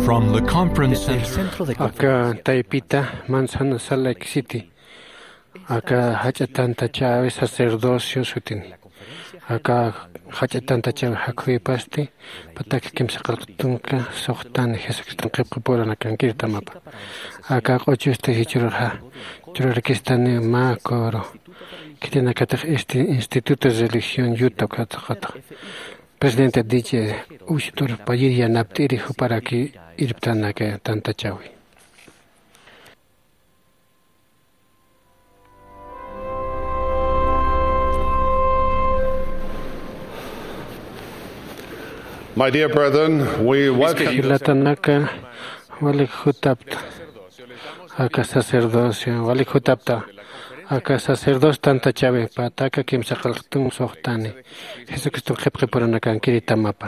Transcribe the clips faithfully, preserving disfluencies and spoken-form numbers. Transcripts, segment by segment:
From the conference center. Aka taypita Manzano Salt Lake City, aka jach'a tantachäwi sacerdocio sutin. Aka jach'a tantachäwi jakhuypasti, patak kimsa qillqt tunka suxtani Jesucriston qillqapuranakankiritamapi. Aka q'uchusti jichhürxa churarakistani mä coro, khitinakatix este Instituto de Religión Utah ukatxa, presidente D J Ushtur Payir yanapt'iri juparaki irptanaka tantachäwi. My dear brethren, we welcome. Jilatanaka, walik jutapta aka sacerdocio, walik jutapta aka sacerdocio tantachäwi, patak kimsa qillqt tunka suxtani Jesucriston qillqapuranakankiritamapi.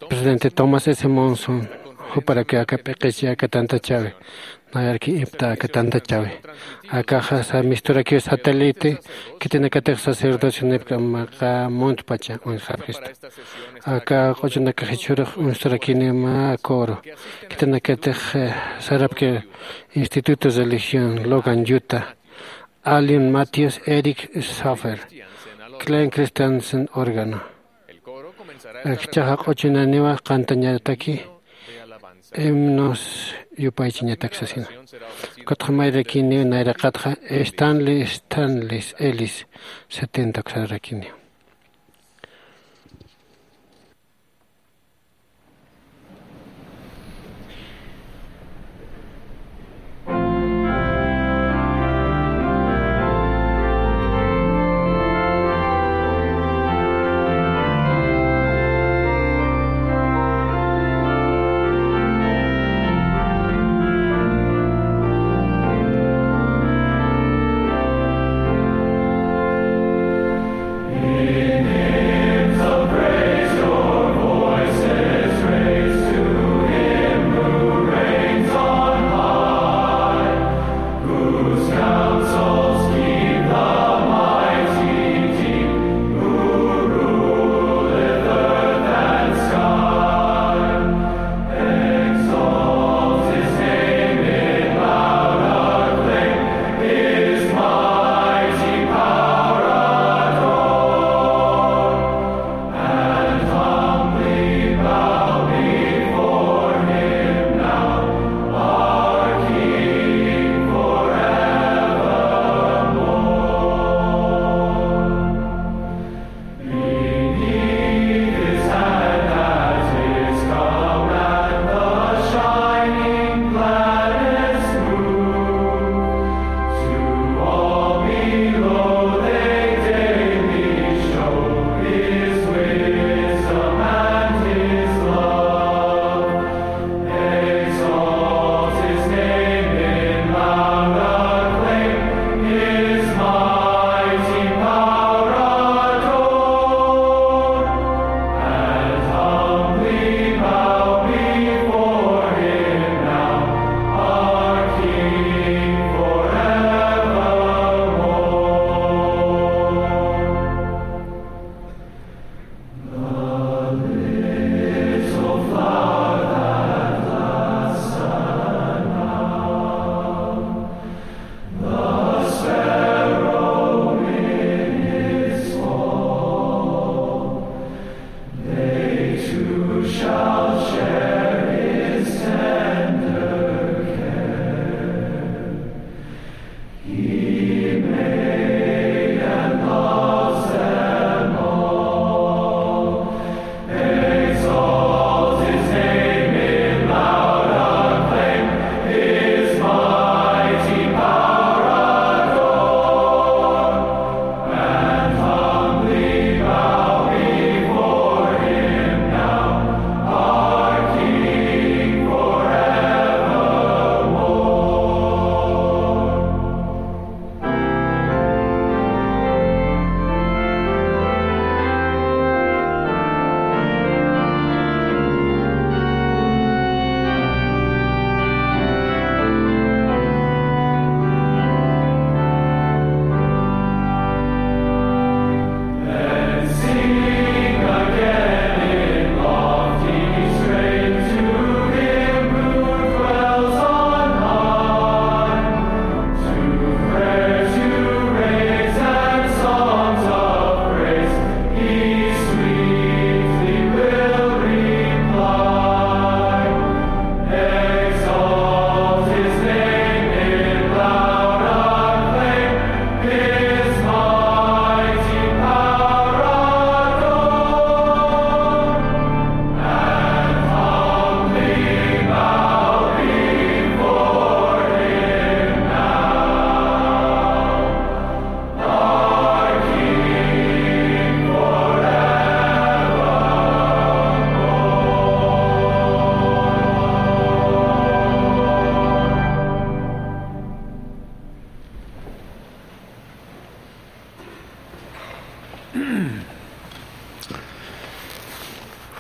Presidente Thomas S. Monson juparaki aka p'iqichi aka tantachäwi, nayaraki irpta aka tantachäwi. Akaxa sa misturakiw satélite, khitinakatix sacerdocio nipka maqa muntpacha uñjapxista. Aka q'uchunakax jichhürux uñsturakini mä coro, khitinakatix, eh, sarapki Instituto de Religión Logan Utah, Alien Matthews, Eric Schaffer, Clayton Christensen órgano. Jichhaxa q'uchunaniwa qantañataki himnos yupaychañatak sasina. Ukatxa mayrakiniw nayraqatxa Stanley Stanley Ellis setenta uksarakiniw.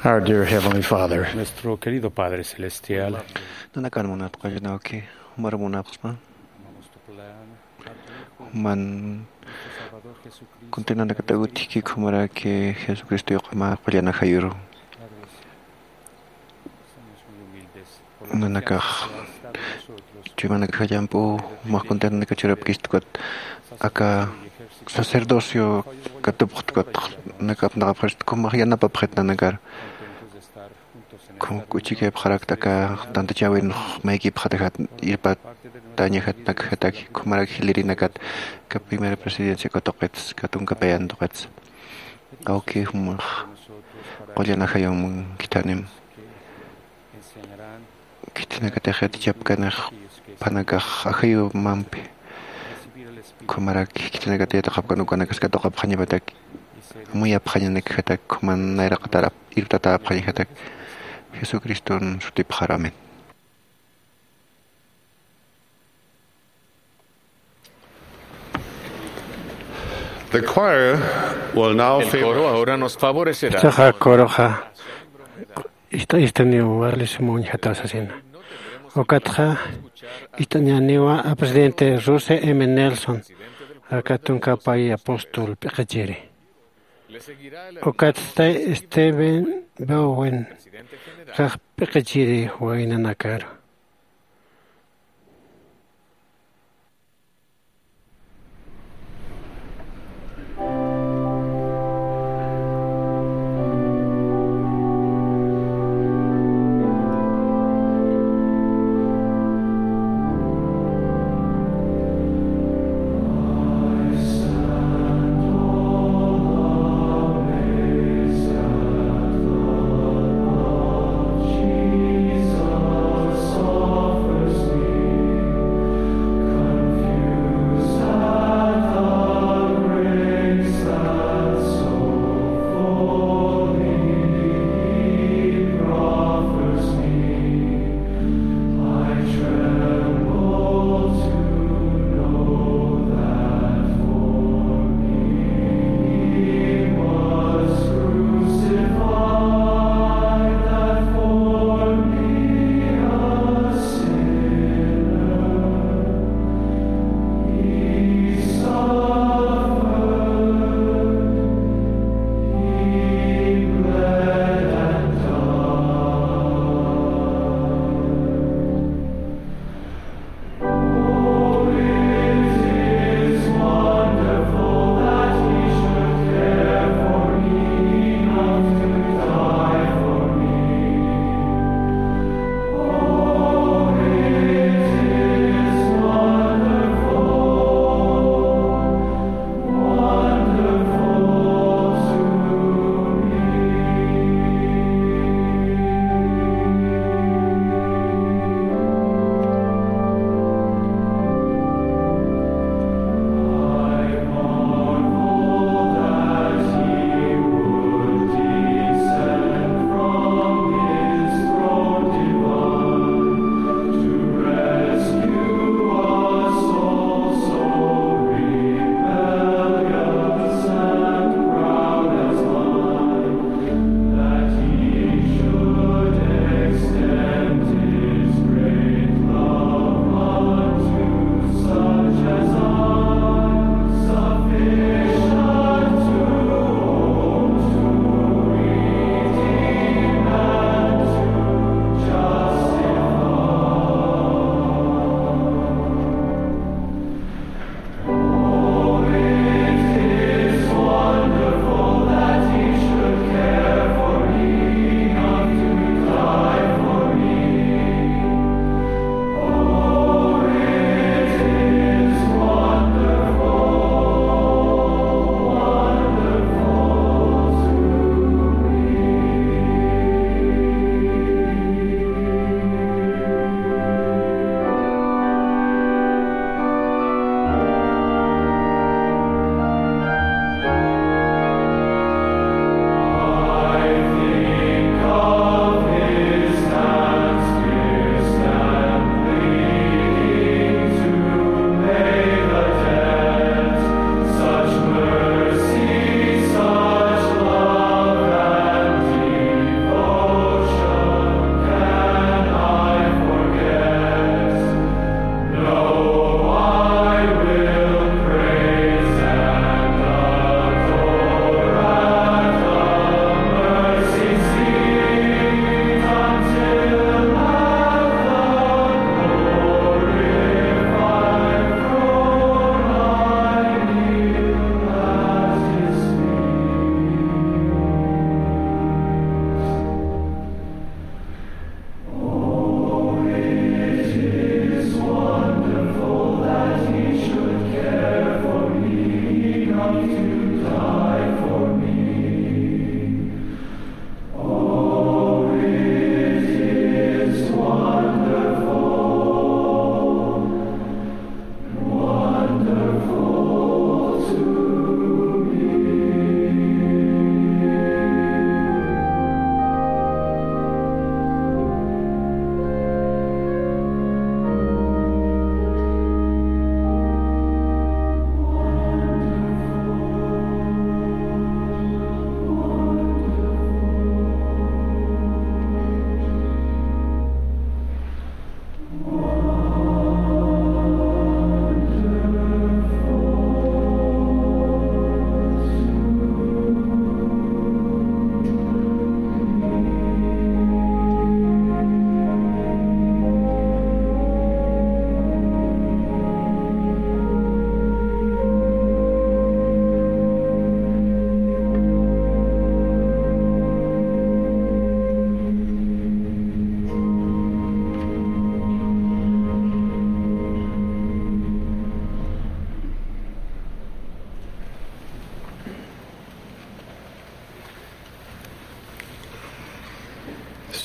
Our dear Heavenly Father, nuestro querido Padre Celestial, nanakan munat qallnawki, jumar munapxsma. Juman kuntinanakatawitki, jumaraki Jesucristo yuq'ama qullan ajayuru. Nanakax chuymanakax jallamp'u, jumax kuntinanaka churapkista ukat aka sacerdocio katupxt ukat, nanak apnaqapxista, jumax yanapapxit nanakar. Kun k'uchikayapxarakta aka tantachäwinx maykipxatajat, irpatañajatakjataki, jumarak jilirinakat aka primera presidencia katuqitsa, katunkapayantxitsa. Awki jumax qullan ajayum khithanim. Khithanakatix yatichapkanix phanakax ajayumampi. Jumarak khithanakatix yatichapkan ukanakas katuqapxañapataki, amuyapxañanakjatak, juman nayraqatarap irptatäpxañjatak. Jesucriston sutipxar, amén. The choir will now favor. El coro ahora nos favorecerá. Istaxa coroxa ista-, istaniw warlis muñjataw sasina. Ukatxa ist'añäniwa a presidente Russell M. Nelson, aka tunkapay apóstol p'iqichiri. Ukatsti Stephen Bowen, kax p'iqichiri waynanakaru.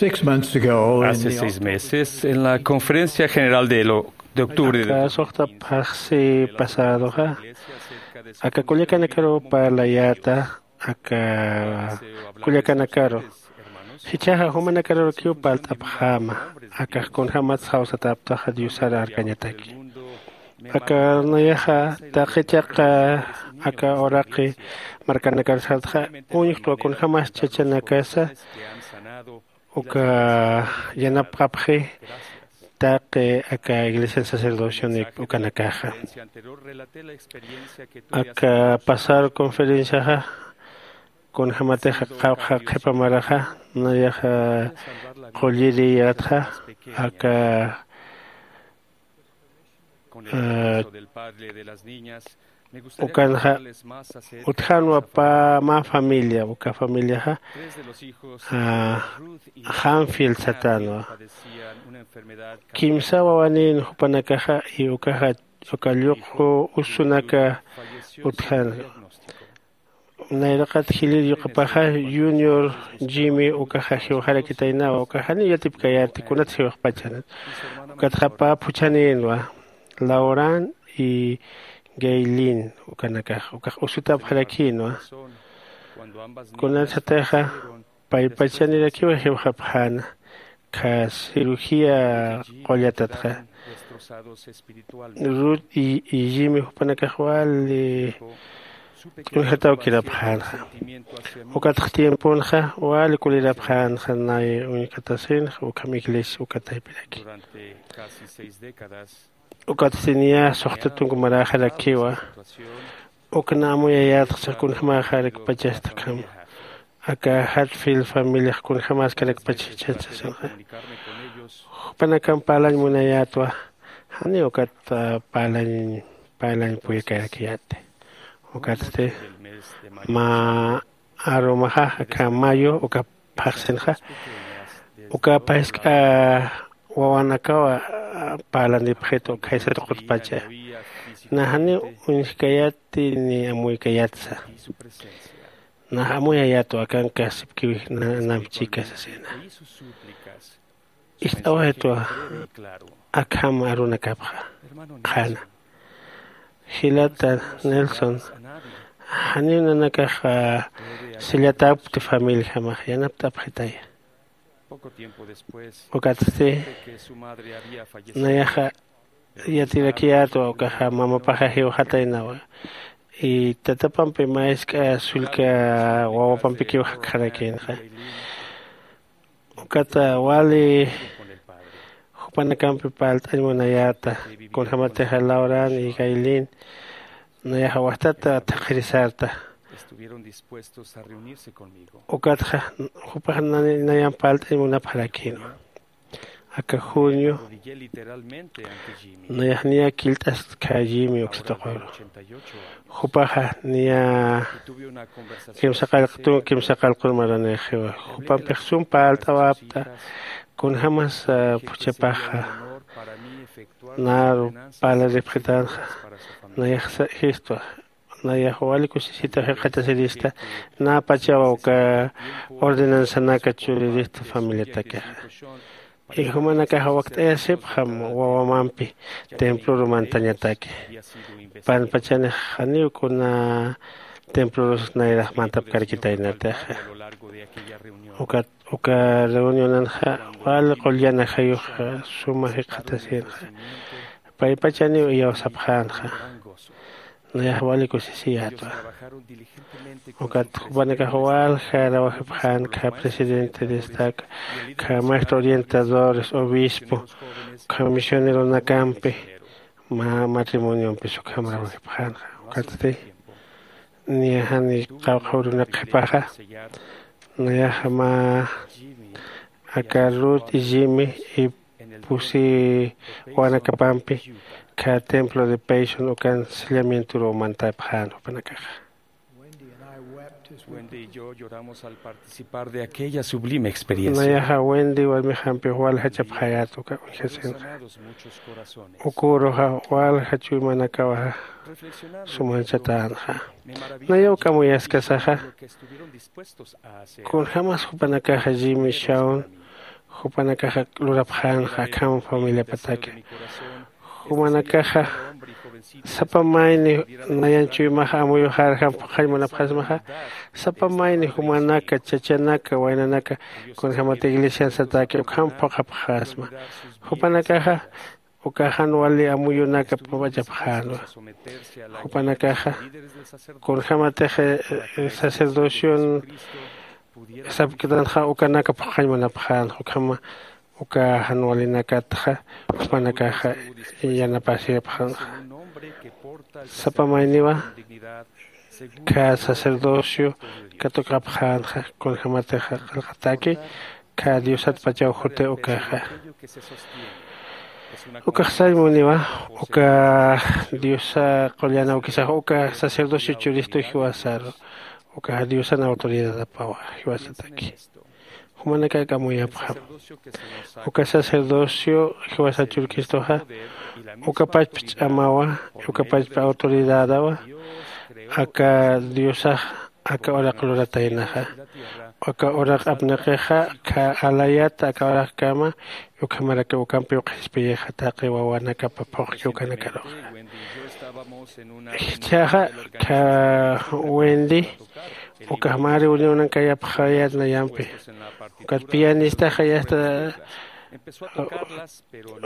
Six months ago, in Hace the seis meses, en la conferencia general de, lo- de octubre de Aka suxta phaxsi pasadoxa, aka kullakanakaru parlayäta, aka kullakanakaru. Jichhaxa jumanakarukiw parlt'apxäma, akax kunjämats jawsatäptaxa Diosar arkañataki. Aka nayaxa taqi chiqa aka uraqi markanakar sartxa, uñjtwa kunjämas chachanakasa uka yanapxapxi taqi aka iglesia sacerdocionik ukanakaxa. Aka pasar conferenciaxa kunjämatixa qawqha qhipa maraxa nayaxa qulliriyätxa aka ukanxa utjänwa mä familia, uka familiaxa Hanfield satänwa. Kimsa wawanïn jupanakaxa y ukaxa uka lluq'u usunaka utjänwa. Nayraqat jilïr yuqapaxa Junior Jimmy ukaxa jiwxarakitaynawa, ukaxa janiw yatipkayäti kunat jiwxpachanat. Ukatxa pä phuchhanïnwa, Lauran y Gaylin ukanakax, ukax usutapxarakïnwa. Kunatsatixa paypachanirakiwa jiwxapxäna, kha cirugía qullatatxa. Ruth y, y Jimmy jupanakax wali t'unjatawkirapxänxa. Ukatx tiemponxa wali kulirapxänxa nay uñkatasinxa ukham iglesia uka taypiraki. Ukatsti niya suxta tunka maräxarakiwa. Ukna amuyayätxa kunjämäxarakpachasta ukham. Aka Hatfield familiax kunjämäskarakpach jichhat sasinxa. Jupanakamp parlañ munayätwa, janiw ukat parlañ parlañ puyakayäkiyäti. Ukatsti mä arumaxa aka mayo uka phaxsinxa uka phask'a wawanakawa parlanipxitu khaysa tuqutpacha. Nax janiw uñjkayäti ni amuykayätsa. Nax amuyayätwa akankasipkiw namchika sasina. Ist'awaytwa akham arunakapxa qhana. Jilata Nelson, janiw nanakax sillatapkti familijamax yanapt'apxitaya. Ukatsti nayaxa yatirakiyätwa ukaxa mamapaxa jiwxataynawa. Y tatapampi mä jisk'a sullka wawapampikiw jakxarakïnxa. Ukata wali jupanakampi parlt'añ munayäta, kunjämatixa Lauran y Gaylin nayaxa wajtata thaqhirisarta. Ukatxa jupax nayan parlt'añ munapxarakïnwa. Aka junio nayax niya killt'askha Jimmy uksa tuquru. Jupaxa niya kimsaqallqtun kimsaqallqun maranïxiwa. Jupampix sum parlt'awapta kunjämas phuchhapaxa naru parlaripxitänxa. Nayax jistwa Nayax wali kusisita jikxatasirista, napachawa uka ordenanzanaka churirista familiatakixa. Y jumanakaxa wakt'ayasipxam wawamampi templuru mantañataki. Panpachanix janiw kuna templurus nayrax mantapkarkitaynatixa. Ukat uka reunionanxa wali qullan ajayuxa suma jikxatasïnxa. Paypachaniw iyawsapxänxa. Nayax wali kusisiyätwa. Ukat jupanakax walja rawajipxän kha presidente destaca, kha maestro orientadores, obispo, kha misioneronakampi mä matrimoniompi sukham rawajipxänxa. Ukatsti niya jani qawqha urunak qhipaxa nayaxa mä aka Ruth y Jimmy y pusi wawanakapampi kha templo de Payson ukan sellamientoruw mantapxän jupanakaxa. Wendy y yo lloramos al participar de aquella sublime experiencia. Nayaxa Wendy warmixampix waljachapxayät uka uñjasinxa. Uka uruxa walja chuymanakawa sumanchataänxa. Nayaw k'amuyaskasaxa kunjämas jupanakaxa Jimmy Shawn jupanakaxa lurapxänxa akham familiapataki. Jumanakaxa sapa mayni nayan chuymaxa amuyuxarjam phuqhañ munapxasmaxa. Sapa mayni jumanaka chachanaka waynanaka kunjämat iglesian sataki ukham phuqhapxasma. Jupanakaxa uka jan wali amuyunaka p'achapxänwa. Jupanakaxa kunjämatix sacerdocion sapktanxa ukanaka phuqhañ munapxänxa ukhama uka jan walinakatxa jupanakaxa yanapasipxänxa. Sapa mayniwa kha sacerdocio katuqapxänxa kunjämatixa qillqataki kha diosatpachaw juti ukaxa. Ukax sañ muniwa uka diosa qullan awkisax uka sacerdocio churistu jiwasaru ukaxa diosan autoridadapawa jiwasataki. Jumanakak amuyapxam uka sacerdocio jiwasa churkistuxa uka pachpa ch'amawa uka pachpa autoridadawa aka diosax aka uraq lurataynaxa. Aka uraq apniqixa kha alayata aka uraqkama ukhamaraki ukampiw qhispiyixa taqi wawanakapa phuqki ukanakaruxa. Jichhaxa kha wendy ukax mä reunionan kayapxayät nayampi ukat pianistaxa yasta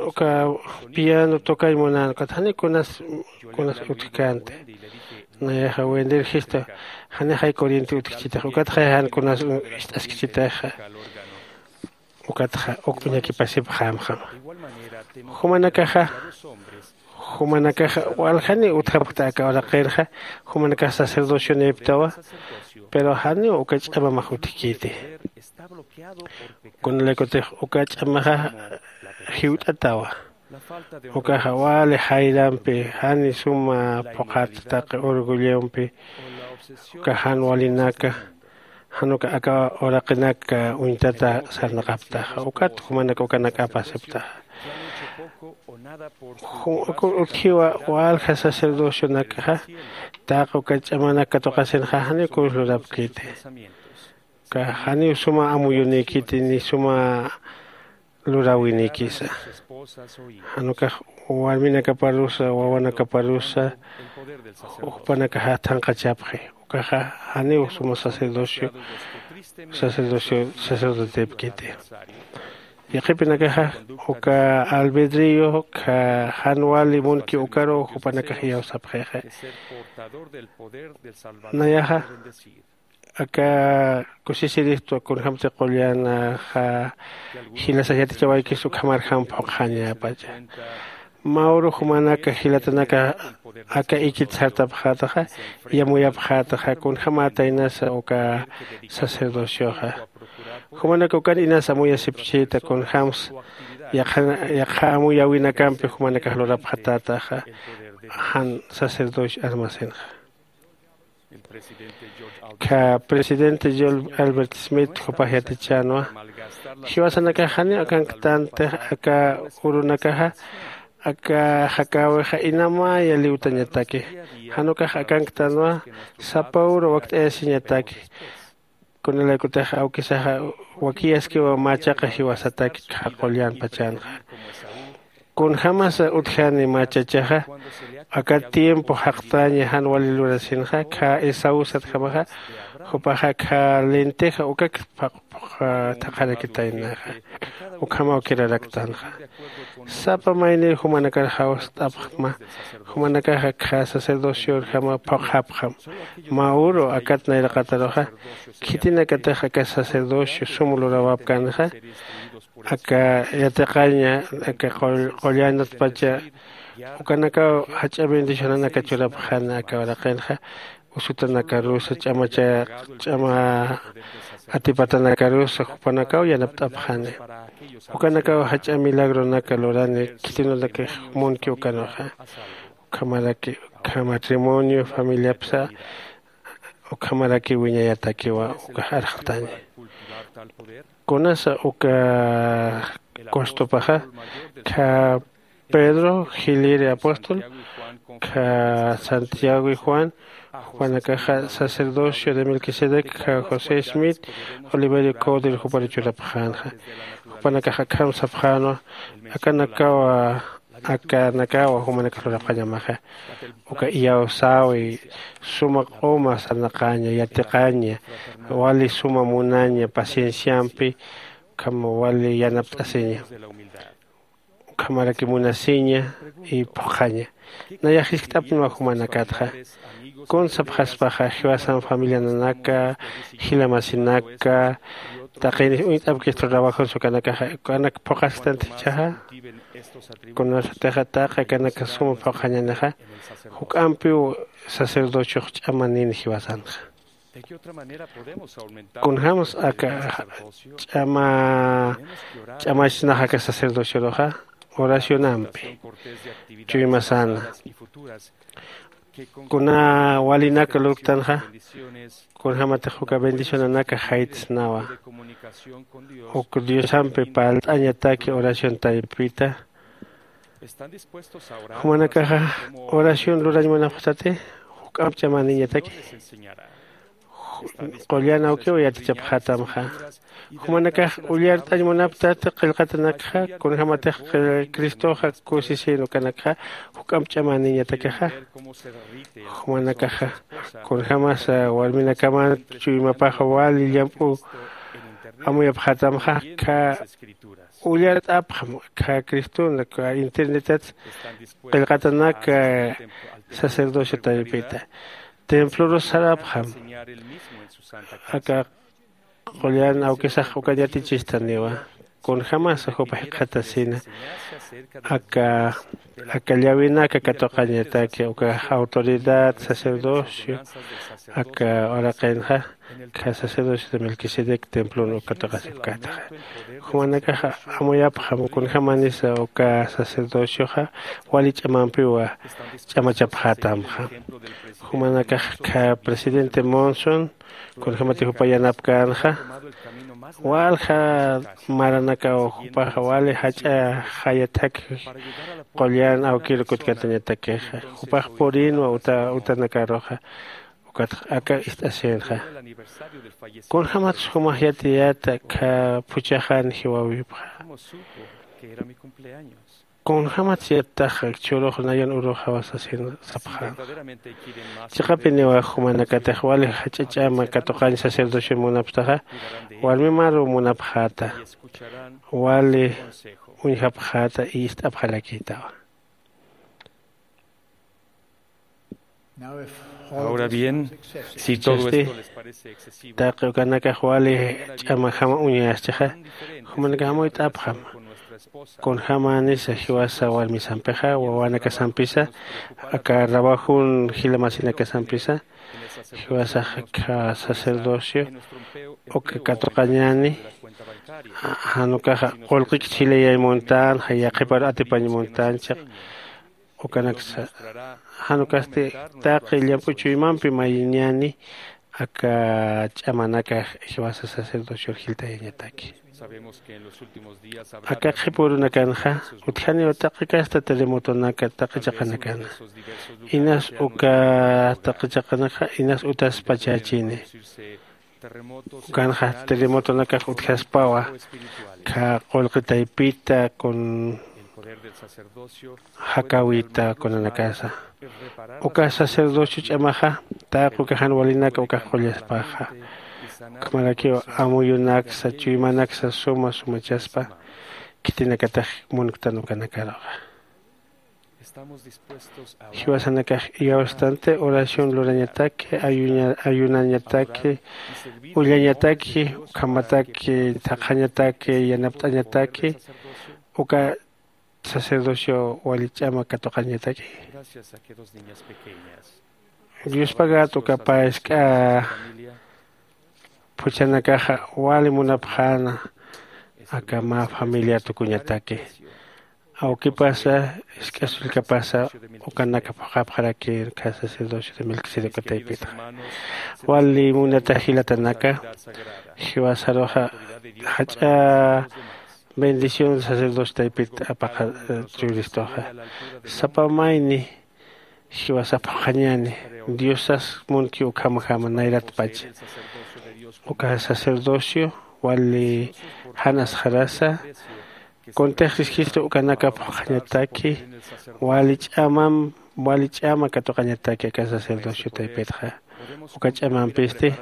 uka piano tukañ munän ukat jani kunas kunas utjkänti. Nayaxa wendir jistu janixay corriente utjkchitix ukatxay jan kunas ist'askchitixa. Ukatxa uk uñakipasipxämxam. Jumanakaxa jumanakaxa waljaniw utjapkta aka uraqinxa. Jumanakax sacerdocionïptawa pero janiw uka ch'amamax utjkiti. Kunalaykutix uka ch'amaxa jiwt'atawa. Ukaxa wali jayrampi jani suma phuqhat taqi orgullompi uka jan walinaka jan uka aka uraqinaka uñtata sarnaqaptaxa ukat jumanak ukanak apasiptaxa. Ukur utjiwa walja sacerdocionakaxa taqi uka ch'amanak katuqasinxa janiw kunslurapkiti. Uka janiw suma amuyunïkiti ni suma luräwinïkisa. Jan ukax warminakaparusa wawanakaparusa jupanakaxa thanqachapxi. Ukaxa janiw suma sacerdocio sacerdocio sacerdotepkiti. Yaqhipinakaxa uka albedrio kha jan wali munki ukaruw jupanakax iyawsapxixa. Nayaxa aka kusisiristwa kunjämti qullan jilasax yatichawaykis ukhamarjam phuqxañäpacha. Mä uru jumanaka jilatanaka aka ikit sartapxätaxa yamuyapxätaxa kunjämätaynasa uka sacerdocioxa. Jumanaka ukan inasa amuyasipchïta kunjämsa yaqha amuyäwinakampi jumanakax lurapxatätaxa jan sacerdocio armasinxa. Kha presidente john albert smith jupax yatichänwa jiwasanakax janiw akanktantix aka urunakaxa aka jakäwixa inamaya liwtañataki. Jan ukax akanktanwa sapa uru wakt'ayasiñataki. Kunalaykutix awkisaxa wakiyaskiwa machaqa jiwasataki qullan pachanxa. Kunjämasa utjani machachaxa aka tiempo jaqtaña jan wali lurasinxa khä Esaú satjamaxa, jupaxa khä lenteja ukak phuqha thaqharakitaynaxa. Ukhamaw kiraraktanxa. Sapa mayniw jumanakar jawst'apxma, jumanakaxa khä sacerdociorjama phuqhapxam. Mä uru akat nayraqataruxa khitinakatix aka sacerdocio sum lurawapkänxa, aka yatiqaña aka qullanatpacha ukanakaw jach'a bendicionanaka churapxäna aka uraqinxa. Usutanakarusa ch'amacha ch'ama atipatanakarusa jupanakaw yanapt'apxani. Ukanakaw jach'a milagronaka lurani khitinunakix munki ukanuxa. Ukhamaraki ukhama matrimonio familiapsa ukhamaraki wiñayatakiwa uka arxtaña. Kunasa uka costopaxa khä Pedro jiliri apóstol, khä Santiago y Juan, jupanakaxa sacerdocio de Melquisedec, khä José Smith, Oliverio Cowdery jupar churapxänxa. Jupanakaxa akham sapxänwa, akanakawa akanakawa jumanakax lurapxañamaxa. Uka iyawsäwi suma q'uma sarnaqaña yatiqaña, wali suma munaña pacienciampi, ukham wali yanapt'asiña, ukhamaraki munasiña y phuqhaña. Nayax jiskt'apniwa jumanakatxa. Kun sapxaspaxa jiwasan familiananaka, jilamasinaka, taqini uñt'apkista trabajons ukanakaxa ukanak phuqhasktanti jichhaxa. Kunasatixa taqi akanaka suma phuqhañanixa, juk'ampiw sacerdociox ch'amanini jiwasanxa. Kunjämas aka ch'ama ch'amachsnax aka sacerdocioruxa, oracionampi chuymasana. Kuna walinak lurktanxa, kunjämatix uka bendicionanaka jaytsnawa. Uk diosampi parlt'añataki oración taypita. Jumanakaxa oración lurañ munapxtati, juk'amp ch'amaniñataki. Qullan awkiw yatichapxätamxa. Jumanakax ullart'añ munaptati qillqatanakxa, kunjämatix cristoxa kusisin ukanakxa juk'amp ch'amaniñatakixa. Jumanakaxa kunjämasa warminakaman chuymapaxa wali llamp'u amuyapxätamxa. Khä ullart'apxam khä criston khä internetat qillqatanak sacerdocio taypita. Templorus sarapxam aka qullan awkisax ukan yatichistaniwa. Kunjämasa jupa jikxatasina aka aka llawinaka katuqañataki uka autoridad sacerdocio aka uraqinxa khä sacerdocio de Melquisedec templon uka katuqasipkätaxa. Jumanakaxa amuyapxam kunjämanisa uka sacerdocioxa wali ch'amampiwa ch'amachapxätamxa. Jumanakax khä presidente Monson kunjämati jupa yanapkänxa, walja maranakaw jupaxa wali jach'a jayat jaki qullan awkir kutkatañatakixa. Jupax purinwa uta utanakaruxa ukatx aka ist'asinxa. Kunjämatsa jumax yatiyäta khä phuchhaxan jiwäwipxa? Kunjämatsa yattaxa churux nayan uruxawa sasin sapxäna? Chiqapiniwa jumanakatix wali jach'a ch'ama katuqañ sacerdocion munapxtaxa, warmimaruw munapxäta, wali uñjapxäta y ist'apxarakïtawa. Ahora bien, si todo esto les parece excesivo, taqi ukanakax wali ch'amajama uñayaschixa, jumanakax amuyt'apxam kunjämanisa jiwasa warmisampixa wawanakasampisa aka trabajun jilamasinakasampisa jiwasax aka sacerdocio uka katuqañäni. Jan ukaxa qullqikit jilayay muntänxa yaqhiparu atipañ muntänchix. Ukanaksa jan ukasti taqi llamp'u chuymampi mayñäni aka ch'amanakax jiwasa sacerdocior jiltayañataki. Aka qhipürunakanxa utjaniw taqi kasta terremotonaka taqi chiqanakana. Inas uka taqi chiqanakxa inas utaspachachini. Ukanxa terremotonakax utjaspawa. Kha qullqi taypita kun jakawita kunanakasa. Uka sacerdocio ch'amaxa taqi uka jan walinaka ukax qullaspaxa. Ukhamarakiw amuyunaksa chuymanaksa suma sumachaspa khitinakatax munktan ukanakaruxa. Jiwasanakax iyawstanti oración lurañataki, ayuña- ayunañataki, ullañataki, ukhamataki thaqhañataki, yanapt'añataki uka sacerdocio wali ch'ama katuqañataki. Diospagat uka pä jisk'a phuchhanakaxa wali munapxäna aka mä familia tukuñataki. Awkipasa jisk'a sullkapasa ukanaka phuqhapxaraki kha sacerdocio de Melquisedec taypitxa. Wali munata jilatanaka, jiwasaruxa jach'a bendición sacerdocio taypit apaqa churistuxa. Sapa mayni jiwasa phuqhañäni. Diosas munki ukhamjama nayratpacha. Uka sacerdocio wali jan asxarasa kuntix registro ukanaka phuqhañataki, wali ch'amam wali ch'ama katuqañataki aka sacerdocio taypitxa. Uka ch'amampisti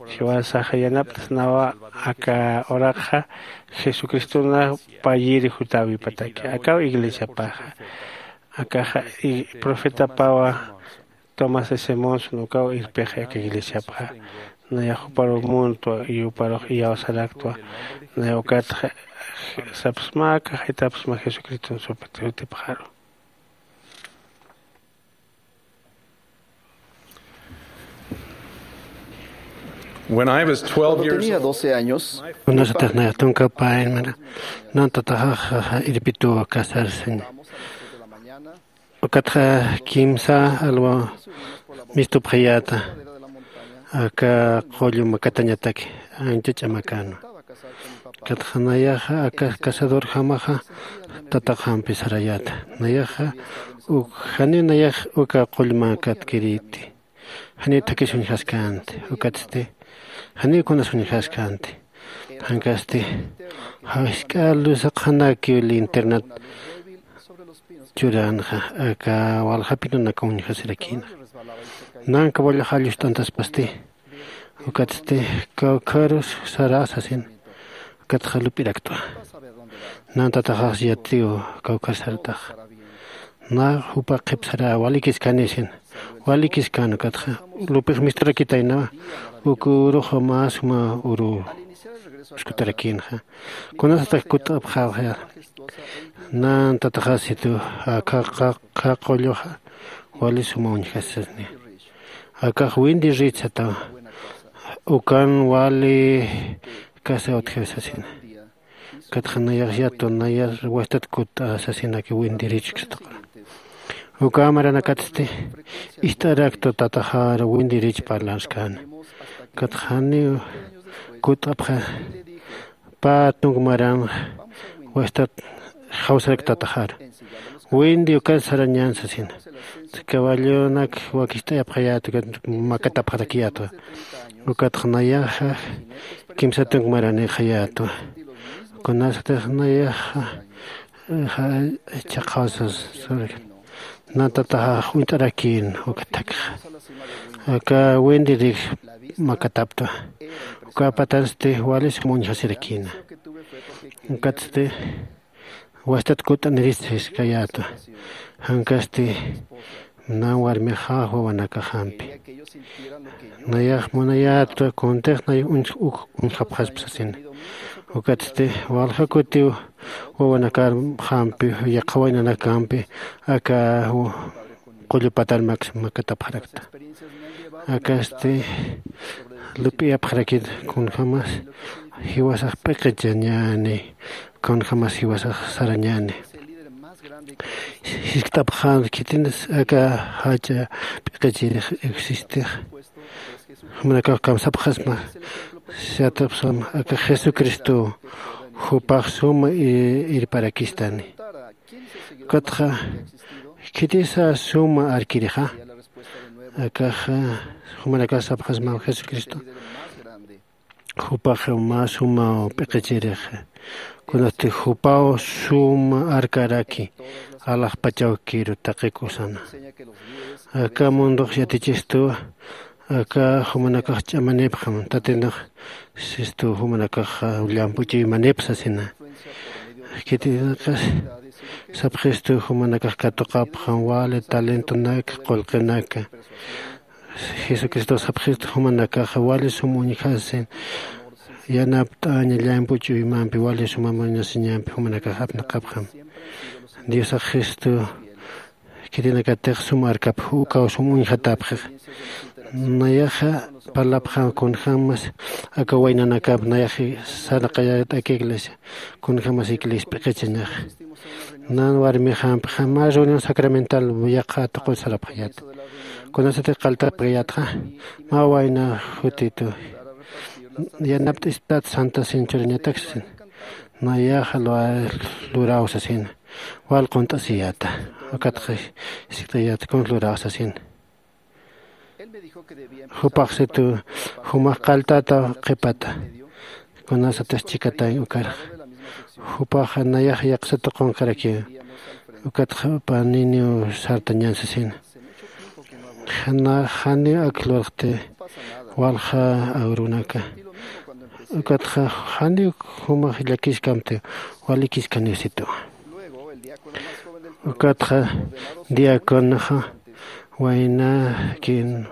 jiwasaxa yanapt'asnawa aka uraqxa jesucristona payiri jutäwipataki akaw iglesiapaxa. Akaxa profetapawa tomás de simonson ukaw irpixi aka iglesiapxa. Nayax juparuw muntwa y juparux iyawsaraktwa. Naya ukatxa sapsma akaxitapsma jesucriston supit jutipxaru. When I was twelve years old, my first... Kunasatix nayax tunka pä irmana, nan tataxax irpituwa casarsiña. Ukatxa kimsa alwa mistupxayäta aka qullu makatañataki ancha ch'amakänwa. Ukatxa nayaxa aka cazadorjamaxa tataxampi sarayäta. Nayaxa uk janiw nayax uka qullmakat kirïti. Janiw thakis uñjaskänti. Ukatsti janiw kunas uñjaskänti. Jankasti jisk'a luzaqxanakiw linternat churänxa aka walja pinunaka uñjasirakïnxa. Nanka wallaxa llusth'antaspasti. Ukatsti kawkharus sarä sasin. Ukatxa lup'iraktwa. Nan tataxax yatiw kawkhar sartaxa. Nax jupa qhipsarä walikiskäni sin. Walikiskäna ukatxa lup'ix mist'arakitaynawa. Uk uruxa mä suma uru uskutarakïnxa. Kunasatix kutt'apxäwxi. Nan tataxasitu aka qulluxa wali suma uñjasisni. Akax winti rich satawa. Ukan wali casa utjaw sasina. Ukatxa nayax yatwa naya wastat kutt'a sasinaki winti rich uksataqra. Uka maranakatsti ist'araktwa tataxar winti rich parlanskani. Ukatxa janiw kutt'apxa pä tunk maran wastat jawsarak tataxar. Winti ukat sarañän sasina. Caballonak wakist'ayapxayäta ukat makatapxarakiyätwa. Ukatxa nayaxa kimsa tunk maranïxayätwa. Kunasatix nayaxa chhaqhawsas surakan. Nan tataxax uñt'arakïn uka thakxa. Aka winti rich makataptwa. Uka patansti wali sum uñjasirakïna. Ukatsti wastat kutt'anirist jiskayätwa. Jankasti nan warmixax wawanakaxampi. Nayax munayätwa kuntix nay uñj uk uñjapxaspa sasina. Ukatsti walja kutiw wawanakarxampi yaqha waynanakampi aka qullu patan maks makatapxarakta. Akasti lup'iyapxarakit kunjämas jiwasax p'iqichañäni kunjämas jiwasax sarañäni. Jiskt'apxän khitinas aka jach'a p'iqichirix existix. Jumanakax kamsapxasma. Siyatapxsam aka jesucristo jupax suma irparakistani. Ukatxa khitisa suma arkirixa? Akaxa jumanakax sapxasma jesucristo jupax mä sumaw p'iqichirix. Kunasti jupaw suma arkaraki alaxpachaw kiru taqi kusana. Aka mundox yatichistuwa. Aka jumanakax ch'amanipxam tatinax sistu jumanakax llampuch'uymanip sasina. Khitinaqas sapxistu jumanakax katuqapxam wali talentonaka qullqinaka. Jesucristo sapxistu jumanakax wali sum uñjasin yanapt'aña llampuch'uymampi wali suma muñasiñampi jumanakax apnaqapxam. Diosax jesucristo khitinakatix sum arkapx ukaw sum uñjatapxix. Nayaxa parlapxam kunjämas aka waynanakap nayax sarnaqayat'aki iglesia kunjämas iglesia p'iqichañaxa. Nan warmixampxa mä reunión sacramental yaqha tuqut sarapxayat. Kunasatix qaltapxayatxa mä wayna jutitu yanapt'istat santa sin churañatak sasin. Nayaxa luraw sasina. Wal qunt'asiyata. Ukatxa sikt'ayat kun luraw sasina. Jupaxsitu jumax qalltata qhipata. Kunasatix chikatañ ukarxa jupaxa nayax yaqsata qunqarakiw. Ukatxa paniniw sartañan sasina. Janiw ak lurxti walja awrunaka. Ukatxa janiw jumax llakiskamti walikiskaniw situ. Ukatxa diaconoxa waynakin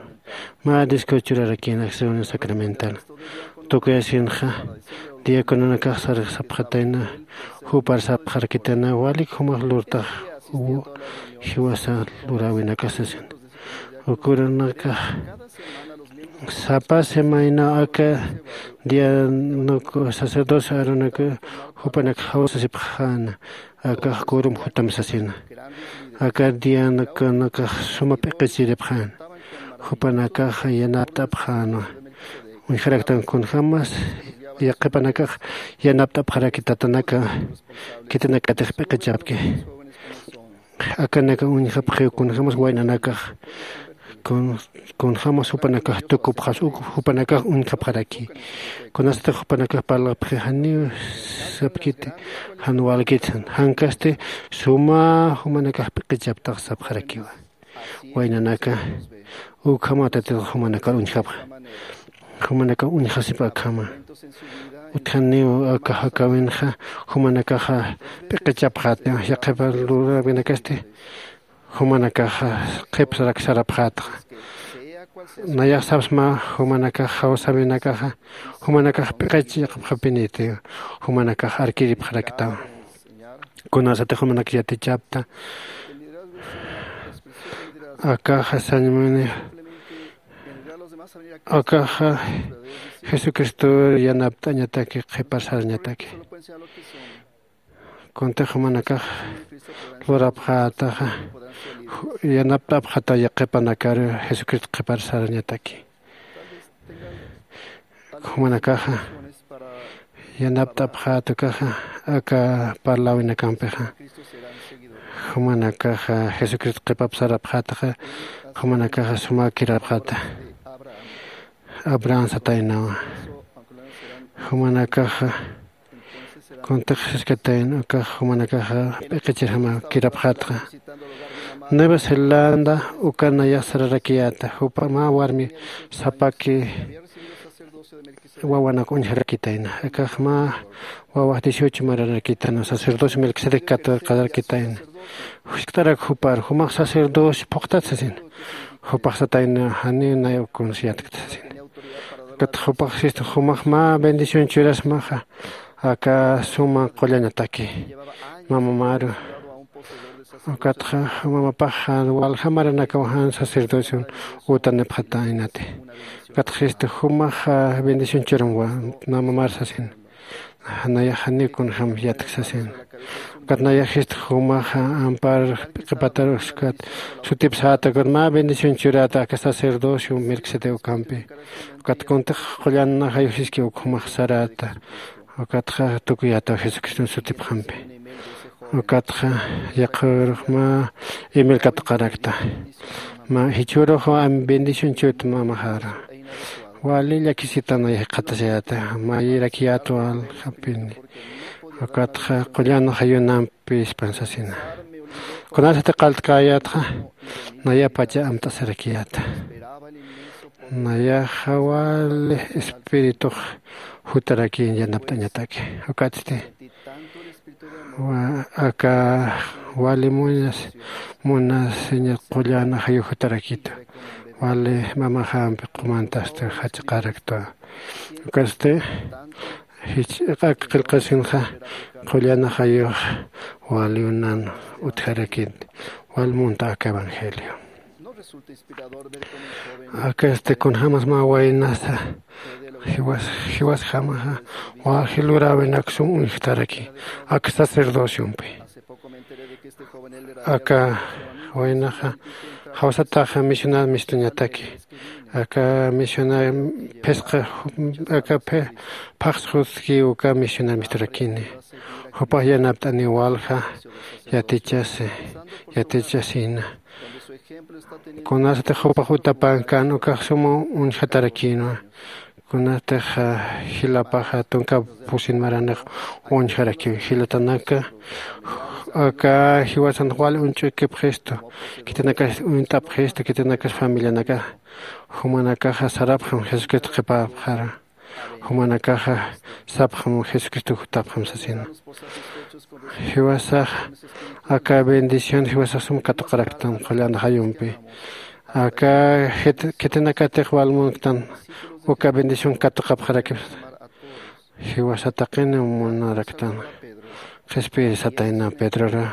mä disco churarakin acción sacramental. Tukuyasinxa diacononakax sarxsapxatayna jupar sapxarakitayna walik jumax lurtax jiwasa luräwinakasasin. Ukurunakax sapa semayna aka dianuk sacerdocio arunak jupanak jawsasipxäna. Akax kurum jutam sasina. Aka dianuk nakax suma p'iqichiripxäna. Jupanakax yanapt'apxänwa. Uñjaraktan kunjämas yaqhipanakax yanapt'apxaraki tatanaka khitinakatix p'iqichapki. Akanaka uñjapxiw kunjämas waynanakax kunjämas jupanakax tukupxas uk jupanakax uñjapxaraki. Kunasatix jupanakax parlapxi janiw sapkiti jan walkiti jan jankasti suma jumanakax p'iqichaptax sapxarakiwa. Waynanaka ukhama tatitux jumanakar uñjapxa. Jumanakax uñjasip akhama. Utjaniw aka jakäwinxa jumanakaxa p'iqichapxäta yaqhipa luräwinakasti jumanakaxa qhipsarak sarapxätxa. Nayax sapsma jumanakax jawsäwinakaxa jumanakax p'iqich yaqhipxapiniti jumanakax arkiripxaraktaw. Kunasatix jumanak yatichapta akaxa sañmuni akaxa jesucristo yanapt'añataki qhipar sarañataki. Kuntix jumanakax lurapxätaxa yanapt'apxata yaqhipanakaru jesucristo qhipar sarañataki. Jumanakaxa yanapt'apxätukaxa aka parläwinakampixa jumanakaxa jesucristo qhipap sarapxätaxa jumanakaxa sumäkirapxäta. Abraham sataynawa jumanakaxa kuntix siskatayna ukax jumanakaxa p'iqichirjama kirapxätxa. Nueva zelanda uka nayax sararakiyäta jupa mä warmi sapaki wawanak uñjarakitayna akax mä wawax dieciocho mararakitayna sacerdocio melquisedec katuqarakitayna. Jiskt'arak jupar jumax sacerdocio phuqtat sasina. Jupax satayna janiw nay uk kunsi yatkta sasina. Ukatxa jupax sistu jumax mä bendición churasmaxa aka suma qullañataki mamamaru. Ukatxa mamapax jan walja maranakaw jan sacerdocion utanipxataynati. Ukatxa sistu jumax bendición churamwa mamamar sasina. Nayax janiw kunjäm yatk sasina. Ukat nayaxist jumaxa ampar qhipataruskat sutipsäta, ukat mä bendición churata aka sacerdocio Melquisedec ukampi. Ukat kuntix qullan jayusiski uk jumax sarata. Ukatxa tukuyätaw Jesucriston sutipxampi. Ukatxa yaqharux mä email katuqarakta. Mä jichhürux bendición chut mamaxara. Wali llakisitana jikxatasayäta, mayirakiyät waljapini. Ukatxa qullan jayunampi ispan sasina. Kunasati qalltkäyätxa, nayapacha amt'asirakiyäta. Nayaxa wali espiritux jutarakin yanapt'añataki. Ukatsti, wa-, aka wali munas, munasiña qullan jayu jutarakitu. Wali mamaxampi qumantasti jach'aqarakta. Ukatsti, jich-, ak qillqasinxa qullan jayux wali unan utjarakit, wal munta aka evangelio. Akasti kunjämas mä waynasa jiwas, jiwasjamaxa, wali luräwinak sum uñjtaraki aka sacerdociompi. Aka waynaxa jawsataxa misionar mistuñataki. Aka misionar phisqa, aka phi-, phaxs jutki uka misionar misturakini. Jupax yanapt'ani walja yatichasi, yatichasina. Kunasatix jupax utapan kan ukax suma uñjatarakinwa. Kunatix, ah, jilapaxa tunka pusin maranix uñjarakiw jilatanaka. Aka jiwasan wal uñch'ukipxistu, khitinakas uñt'apxistu, khitinakas familianaka. Jumanakaxa sarapxam Jesucristo qhipapxara. Jumanakaxa sapxam Jesucristo jutapxam sasina. Jiwasax aka bendición jiwasax sum katuqaraktan qullan jayumpi. Aka jit-, khitinakatix wal munktan uka bendición katuqapxarakipxta. Jiwasa taqini munaraktan. Qhispiyir satayna Pedrora.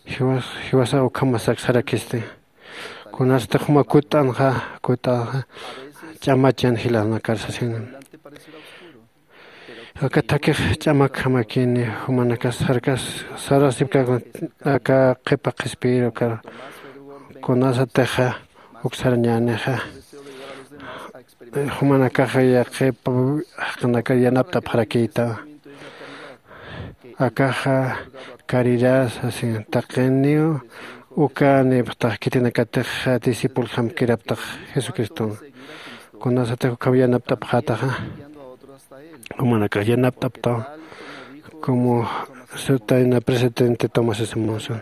Jiwas-, jiwasa ukhamasak sarakisti. Kunasti juma kut'anxa, kut'anxa ch'amachan jilanakar sasina. Aka thakix ch'amakjamakini, jumanakas sarkas, sarasipka aka qhipa qhispiyir uka kunasatixa uksarañänixa. Jumanakaxa yaqhipa jaqinakar yanapt'apxarakïta. Akaxa caridad, así, taqiniw uka nipxtax khitinakatix discipuljam kiraptax Jesucriston. Kunasatix ukham yanapt'apxätaxa, jumanakax yanapt'aptaw, como sutayna presidente Thomas S. Monson.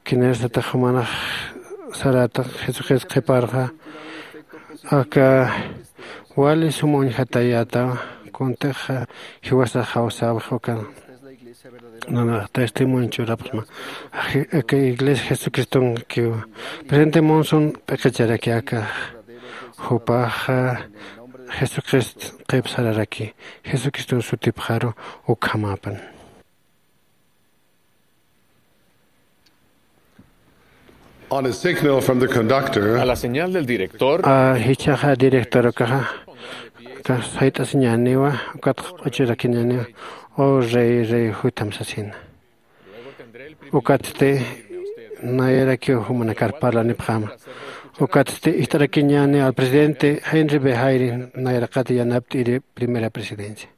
Kinasatix jumanax sarätax Jesucristo qhiparxa, aka wali sum uñjatayätaw, kuntixa jiwasax jawsäwix ukan. Nanax testimonio churapxma. Aka iglesia Jesucristonkiw. Presidente Monson p'iqicharaki aka. Jupaxa Jesucristo qhip sararaki. Jesucriston sutipxaru ukhamäpan. On a signal from the conductor, a la señal del director, a jichhaxa director ukaxa, ka sayt'asiñäniwa, ukat q'uchurakiñäniwa, "Oh rey, rey" jutam sasina. Ukatsti nayarakiw jumanakar parlanipxäma. Ukatsti ist'arakiñäni al presidente Henry B. Eyring, nayaraqat yanapt'iri primera presidencia.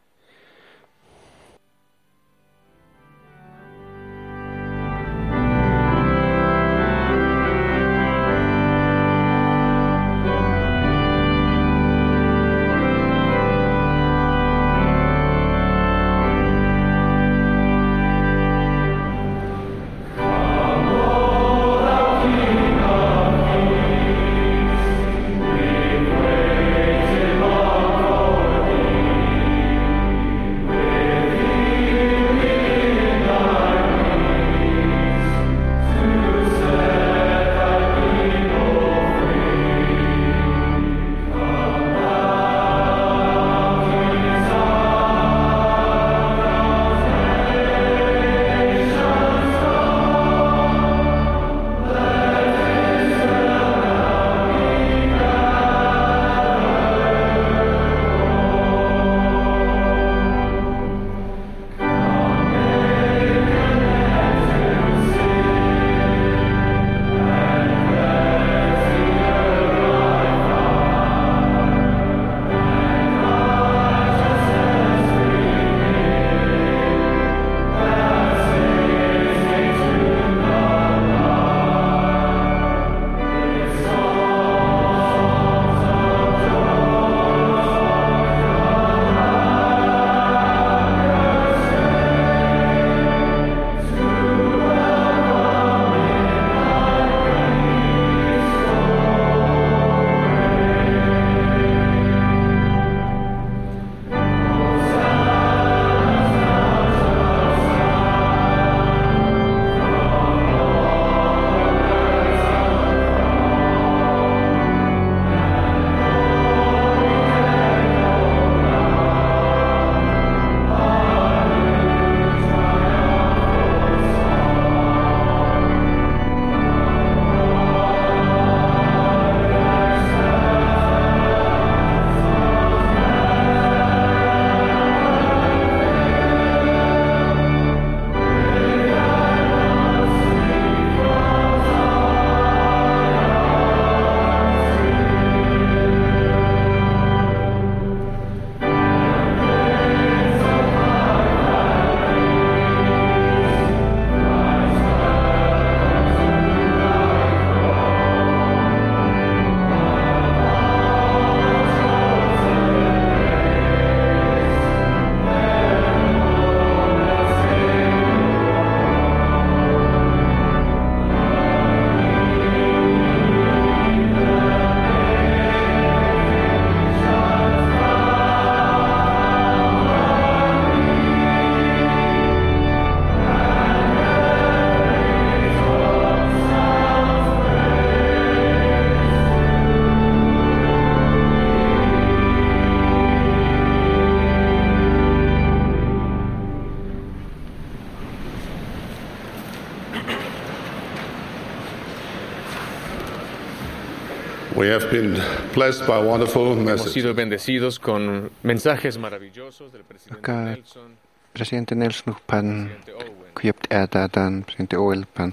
We have been blessed by wonderful messages. Hemos sido bendecidos con mensajes maravillosos del presidente Nelson, presidente Nelson, pan presidente Owen, kuyapt'atan, presidente Owen pan.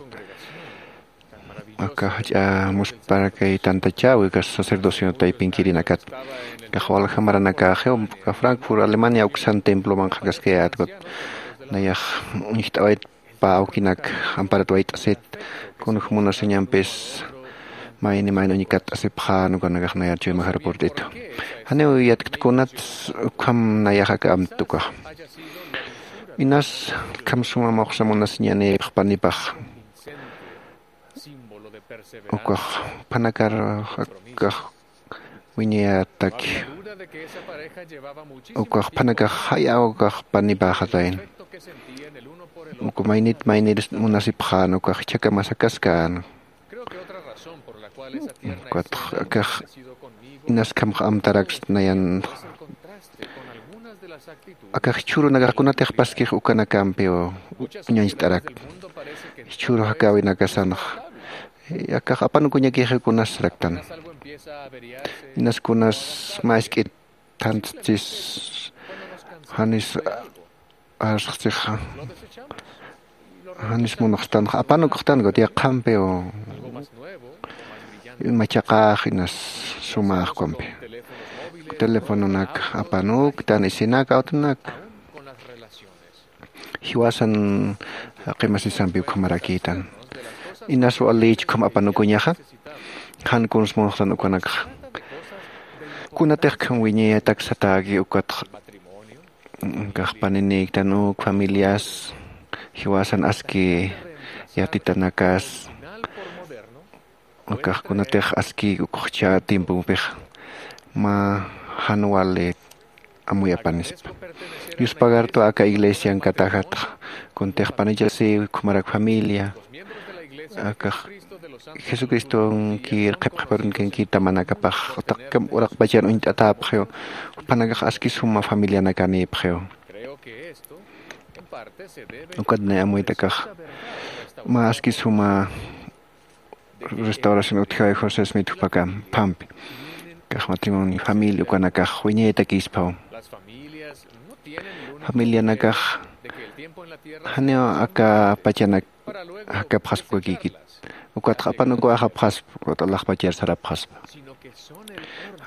Aka jach'a musparakay tantachäwi, aka sacerdocio taypinkirinakat. Aka waljamaranakaxiw, aka Frankfurt, Alemania uksan temploman qhakaskayätkut. Nayax uñjt'awayt pä awkinak amparat wayt'asit, kunjämunasiñampis mayni mayni uñkatt'asipxän ukanakax nayar chuymax aeropuert'itu. Janiw yatkta kunats ukham nayax aka amtukax. Inas kham suma muxsa munasiñanïpx panipax. Ukax phanakar akax wiñayataki. Ukax phanakax jaya ukax panipaxatayn. Uka maynit maynir munasipxän ukax chhakamasakaskän. Ukat akax inaskamx amtaraks nayan. Akax jichhürunakax kunatix paskix ukanakampiw uñañcht'arak. Jichhüru jakäwinakasanx akax apanukuñakixi kunas raktan. Inas kunas mä isk'it thantsis janis arsxtsixa. Janis munuxstanxa apanukuxtanku yaqhampiw. Machaqax inas sumaxkampi. Telefononak apanuktan isinak awtunak. Jiwasan qimasisampi ukhamarakïtan. Inas walichkham apanukuñaxa. Jan kuns munuxtan ukanakxa. Kunatix kham wiñayatak satäki ukatxa. Kax paninïktan uk familias jiwasan aski yatitanakas. Akax kunatix aski ukxcha tiempompix mä jan wali amuyapanispa. Yuspagartu aka iglesian katajatxa kuntix panichasiw ukhamarak familia. Akax jesucristonkir qhipqhiparunkankir tamanakapax taqkam uraqpachan uñt'atäpxiw. Juphanakax aski suma familianakanïpxiw. Ukat nay amuytakax mä aski suma restauración utjawi josé smith jupakam phampi. Kax matrimonio familia ukanakax wiñaytakïspaw. Familianakax janiw aka pachanak jakapxaspkakïkit. Ukatxa apanukuwayxapxaspa ukat alaxpachar sarapxaspa.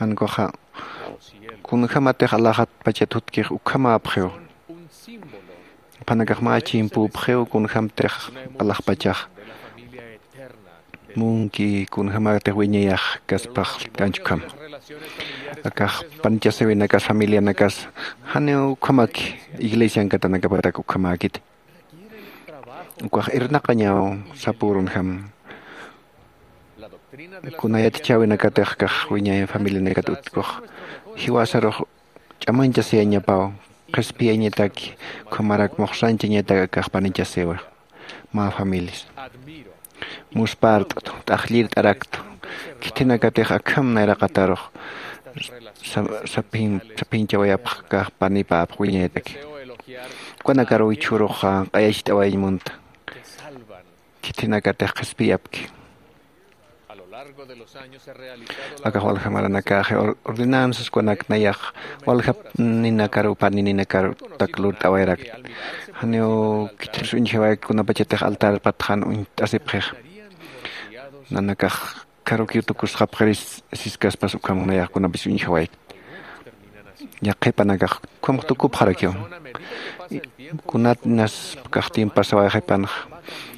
Jankuxa kunjämatix alaxat pachat jutkix ukhamäpxiw. Juphanakax mä chimpüpxiw kunjämtix alaxpachax munki kunjämätix wiñayax kaspax kanchkham. Akax panichasiwinakas familianakas janiw ukhamaki iglesiankatanakapatak ukhamäkiti. Ukax irnaqañaw sapürunjam. Kunayatichäwinakatix kax wiñay familianakat utkux jiwasarux ch'amañchasiyañapaw. Qhispiyañataki ukhamarak muxsanchañatak akax panichasiwa. Mä familias muspart'tu t'aqllirt'araktu. Khithinakatix akham nayraqatarux saphinchawayapx kax panipäpx wiñayataki. Ukanakaruw jichhürux q'ayacht'awayañ munta. Khithinakatix qhispiyapki. Akax waljamaranakaxi ordenanzas ukanak nayax waljap ninakaruw pani ninakarutak lurt'awayarakta. Janiw khithiris uñjawayki kunapachatix altar patxan uñt'asipxix. Nanakax karukiw tukusxapxiris siskaspas ukham nayax kunapis uñjawayki. Yaqhipanakax ukhamax tukupxarakiw. Kunat inas kaxtin pasawayxipanxa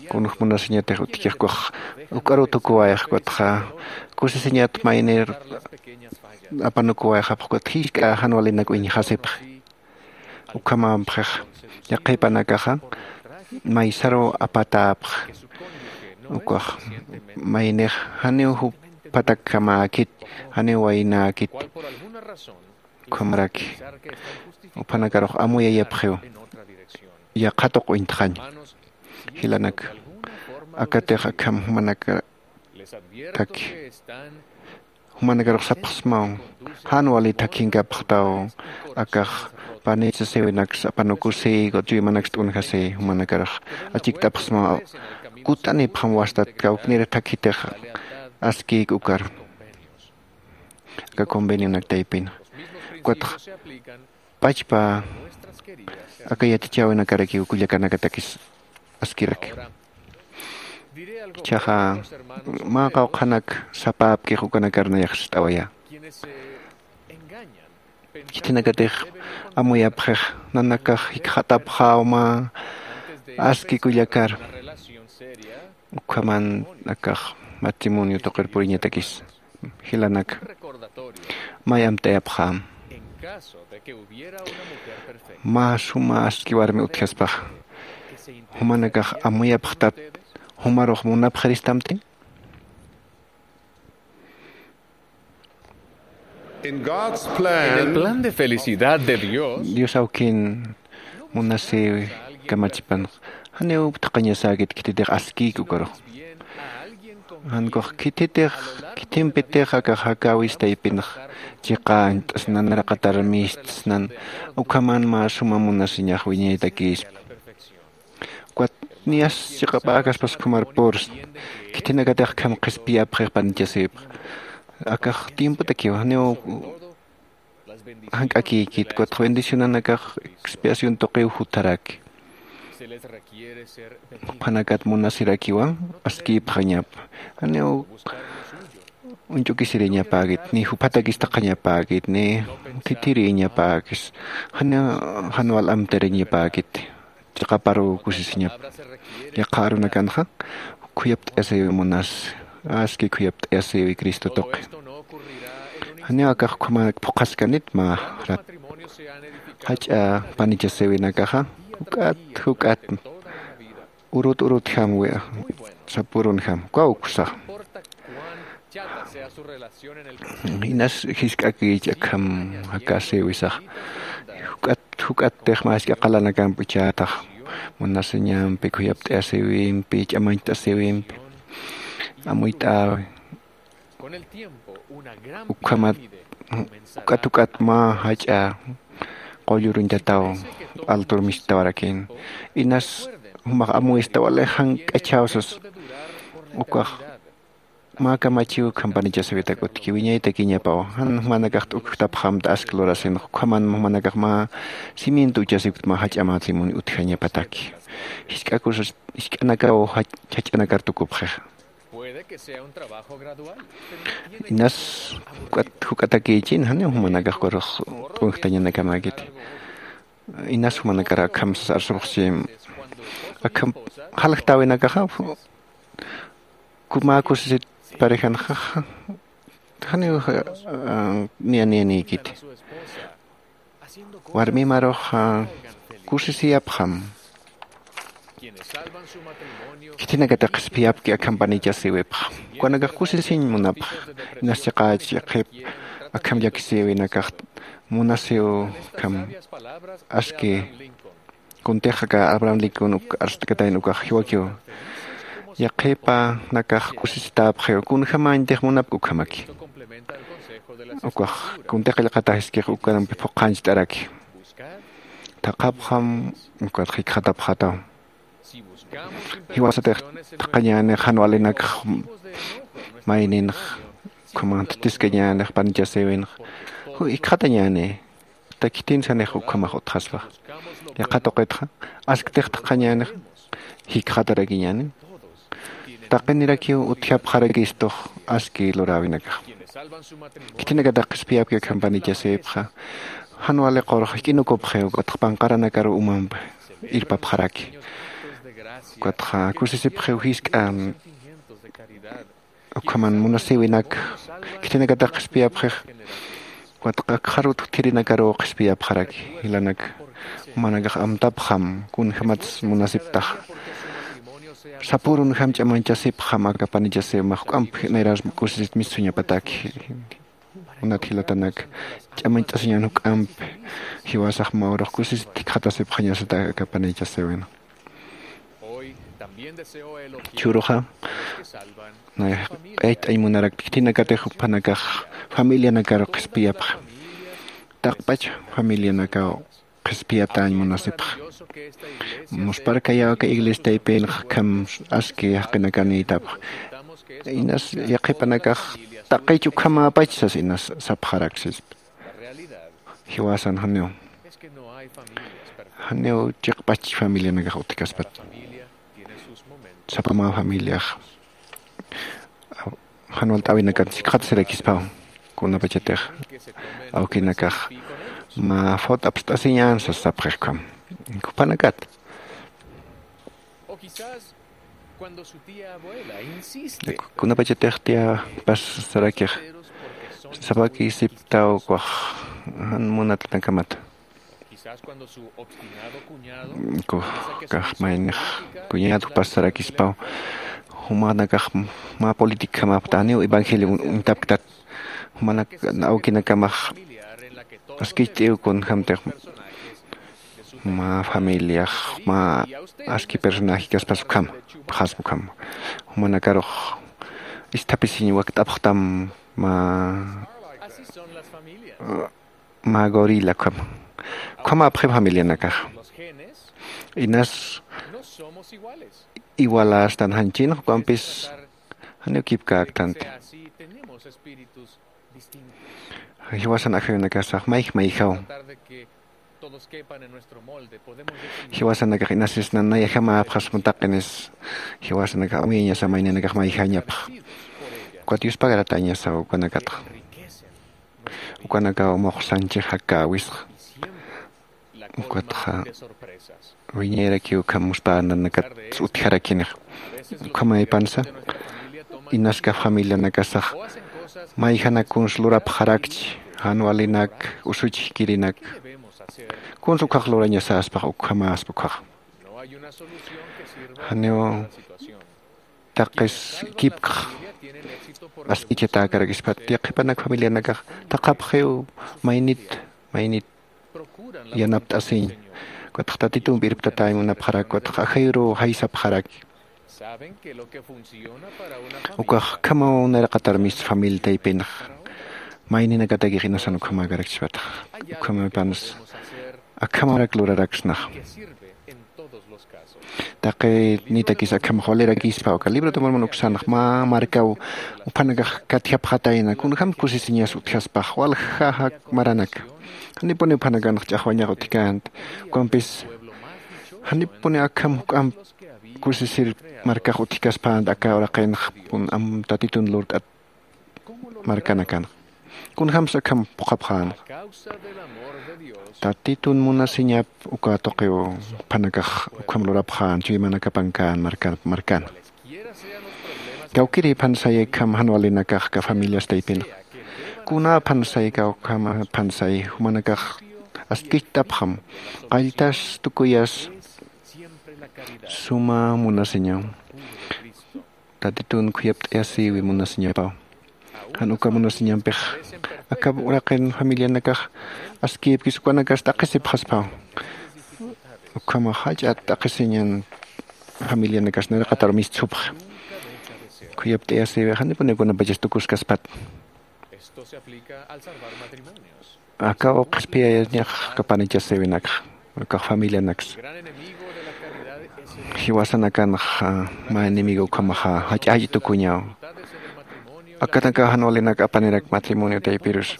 kunjämunasiñatix utjkixkuxa uk'aruw tukuwayxkutxa kusisiñat maynir apanukuwayxapxkut jisk'a jan walinak uñjasipxi. Ukhamampxix yaqhipanakaxa maysaruw apatäpxi. Ukax maynix janiw jupathakkhamäkit janiw waynäkit. Ukhamaraki uphanakarux amuyayapxiw. Yaqha tuq uñtxañ jilanak akatix akham jumanakataki. Jumanakarux sapxsmaw jan wali thakhinkapxtaw. Akax panichasiwinaks apanukusiy ukat chuymanaks t'unjasiy jumanakarux achikt'apxsmaw. Kut'anipxam wastat kawknir thakhitix askïk ukar. aka convenionak taypin. Ukatxa pachpa aka yatichäwinakarakiw kullakanakatakis askiraki. Ichhaxa mä qawqhanak sapäpkix ukanakar nayax sist'awayä. Khitinakatix amuyapxix nanakax jikxatapxäw mä aski kullakar, ukhaman akax matrimonio tuqir puriñatakis. Jilanaka, may amtayapxäm, mä suma aski warmi utjaspaxa, jumanakax amuyapxtat jumarux munapxiristamti? En el plan de felicidad de Dios, Dios awkin munasïwi kamachipanx, janiw thaqhañasäkit khititix askïki ukarux. Jankux khititix, khithimpitix akax jakäwis taypinx chiqañt'snan, raqatar mistsnan, ukhaman mä suma munasiñax wiñaytakïspa. Ukat niyas chiqapäkaspas ukhamar pursna. Khitinakatix akham qhispiyapxix panichasïwipx. Akax tiempotakiw, janiw jank'akïkit, ukatx bendicionanakax expiación tuqiw jutharaki. Juphanakat munasirakiwa askïpxañapa. Janiw uñch'ukisiriñapäkit, ni juphatakis thaqhañapäkit, ni thithiriñapäkis, jan, jan wal amtiriñapäkit, chiqaparuw kusisiñapa. Yaqha arunakanxa khuyapt'ayasïwi munasi, aski khuyapt'ayasïwi Cristo tuqi. Janiw akax ukhamänak phuqhaskanit mä rat. Jach'a panichasïwinakaxa juk'at, juk'at urut urutjam, sapürunjam, ukaw uksax. Inas jisk'akïchi akham jakäsïwisax. Juk'at, juk'attix mä jisk'a qalanakamp ichhätax. Munasiñampi, khuyapt'ayasïwimpi, ch'amañcht'asïwimpi amuyt'äwi. Ukhamat, uk'at uk'at mä jach'a qulluruñtataw altur mistawarakïn. Inas jumax amuyista wali jank'achäw sas. Ukax mä kamachiw ukham panichasïwitak utjki, wiñaytakiñapaw. Jan jumanakax t'ukjtapxamta aski lurasinx, ukhaman jumanakax mä cimiento uchasiwkt mä jach'a matrimonio utjañapataki. Jisk'a cosas, jisk'anakaw jach-, jach'anakar tukupxixa. Inas juk'at, juk'atakïchin, janiw jumanakax ukarux t'unjtañanakamäkiti. Inas jumanakar akham sas arsupxchi, akham jaljtäwinakaxa, mä kusisit parejanxa, janiw, ah, niya niyanïkiti. Warmimarux, ah, kusisiyapxam. Khitinakatix qhispiyapki akham panichasïwipxa. Ukanakax kusisiñ munapxa. Inas chiqächi yaqhip akham llakisïwinakax munasïw akham aski. Kuntix aka Abraham Lincoln uk arst'katayna ukax jiwakiw. Yaqhipanakax kusisitäpxiw, kunjämañtix munapki ukhamaki. Ukax kuntix qillqatax jiskix ukarampi phuqhañcht'araki. Thaqhapxam, ukat jikxatapxätaw. Jiwasatix thaqhañänix jan walinakx mayninx, ukhaman thithiskañänix panichasïwinx, jikxatañäni. Khitinsanix ukhamax utjaspa. Yaqha tuqitxa, asktix thaqhañänix, jikxatarakiñäni. Taqinirakiw utjapxarakistux aski luräwinakax. Khitinakatix qhispiyapki akham panichasïwipxa, jan wali qurux jik'inukupxiw, ukatx panqaranakaru umamp irpapxaraki. Ukatxa kusisipxiw jisk'a ukhaman munasïwinak, khitinakatix qhispiyapxix, ukat akxarut utjirinakaruw qhispiyapxaraki, jilanak, jumanakax amtapxam, kunjämats munasiptax. Sapürunjam ch'amañchasipxam aka panichasïwimax, juk'amp nayrar kusisit mistsuñapataki. Kunat jilatanak, ch'amañcht'asiñän juk'amp, jiwasax mä urux kusisit jikxatasipxañasata aka panichasïwin. Churuxa, nay, q'ayt'añ munarak khitinakatix juphanakax familianakaru qhispiyapxa. Taqpach familianakaw qhispiyatäñ munasipxa. Muspharkayaw aka iglesia taypinx akham aski jaqinakanïtapxa. Inas yaqhipanakax taqich ukhamäpach sas inas sapxarak sispa. Jiwasan janiw, janiw chiqpach familianakax utjkaspat. Sapa mä familiax jan walt'äwinakat sikxatasirakispam. Kunapachatix awkinakax mä fot apst'asiñän sas sapxixkam. Juphanakat kunapachatix tiyapas sarakix sapaki siptaw kwax jan munatanakamat. Kukax maynix kuñätupas sarakispaw. Jumanakax mä políticjamapta janiw evangelio uñtapktat. Jumanak awkinakamax askicht'iw kunjämtix mä familiax mä aski personajekaspas ukham pxaspa ukham. Jumanakarux isthapisiñ wakt'apxtam mä mä gorila ukham. Ukhamäpxi familianakax inas igualästan janchin jukampis janiw kipkäktanti. Jiwasan ajayunakasax mayj mayjaw jiwasanakax inasisnan nayajama apxasma taqinis. Jiwasanakax uñañasa mayninakax mayjañapx. Ukat yuspagaratañasa ukanakatxa ukanakaw muxsanchix jakäwisxa. Ukatxa wiñayrakiw ukham muspänanakat utjarakinixa. Ukhamäpansa inaskap familianakasax mayjanak kuns lurapxarakchi jan walinak usuchjkirinak kuns ukhax lurañasaspax ukhamäspa ukhaxa. Janiw taqis kipkx ask'ichatäkarakispat yaqhipanak familianakax taqapxiw maynit maynit yanapt'asiñ. Ukatx tatitumpi irptatäñ munapxarak ukatx ajayuruw jaysapxarak. Ukax ukhamaw nayraqatar mis familia taypinx mayninakatakix inasan ukhamäkarakchispatax. Ukhamapansa akhamarak luraraksnax. Taqi nitakis akham jwalirakispa uka libro de mormon uksanx mä markaw uphanakax katjapxatayna kunjam kusisiñas utjaspax walja jak maranaka. Janipuni uphanakanx ch'axwañax utjkänti ukampis janipuni akham juk'amp kusisir markax utjkaspänti aka uraqinx kun am tatitun lurt'at markanakanxa. Kunjamsa akham phuqhapxänxa tatitun munasiñap uka tuqiw phanakax ukham lurapxän chuymanakapankän markana. Kawkiri phansayi akham jan walinakax ka familias taypinxa kuna phansayi kawkham phansayi jumanakax askicht'apxam qalltas tukuyas suma munasiñaw tatitun khuyapt'ayasïwi munasiñapaw. Jan uka munasiñampix aka uraqin familianakax askïpkis ukanakas t'aqhisipxaspaw. Ukhamax jach'a t'aqhisiñan familianakas nayraqatar mistsupxi khuyapt'ayasïwi janipunikunapachas tukuskaspat. Akaw qhispiyayañax kapanichasïwinakxa ukax familianaksa jiwasanakanxa mä enemigo ukhamaxa jach'ach tukuñaw. Akanakax jan walinak apanirak matrimonio taypirus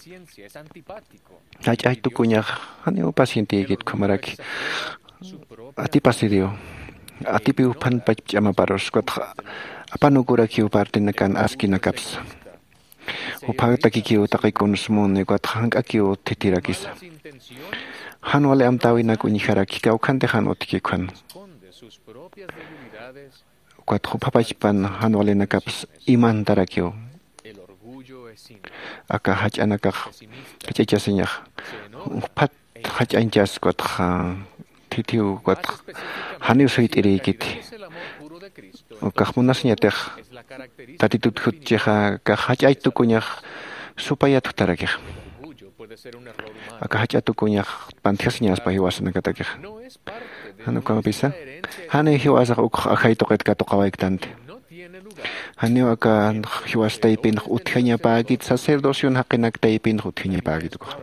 jach'ach tukuñax janiw pacientïkit ukhamaraki atipasiriw atipiw phanpach ch'amaparus ukatxa apanukurakiw partinakan askinakapsa. Juphaktakikiw taqi kunsmuni ukatxa jank'akiw thithirakisa. Jan wali amtäwinak uñjaraki kawkhanti jan utjki ukhan ukatxa juphapachpan jan walinakaps imantarakiw. Aka jach'anakax jach'achasiñax juphat jach'añchas ukatxa thithiw ukatxa janiw suyt'irïkiti. Ukax munasiñatix tatitut jutchixa akax jach'ach tukuñax supayat jutarakixa. Aka jach'a tukuñax pantjasiñaspa jiwasanakatakixa. Jan ukampisa janiw jiwasax ukx ajay tuqit katuqawayktanti. Janiw aka jiwas taypinx utjañapäkit sacerdocion jaqinak taypinx utjañapäkit ukax.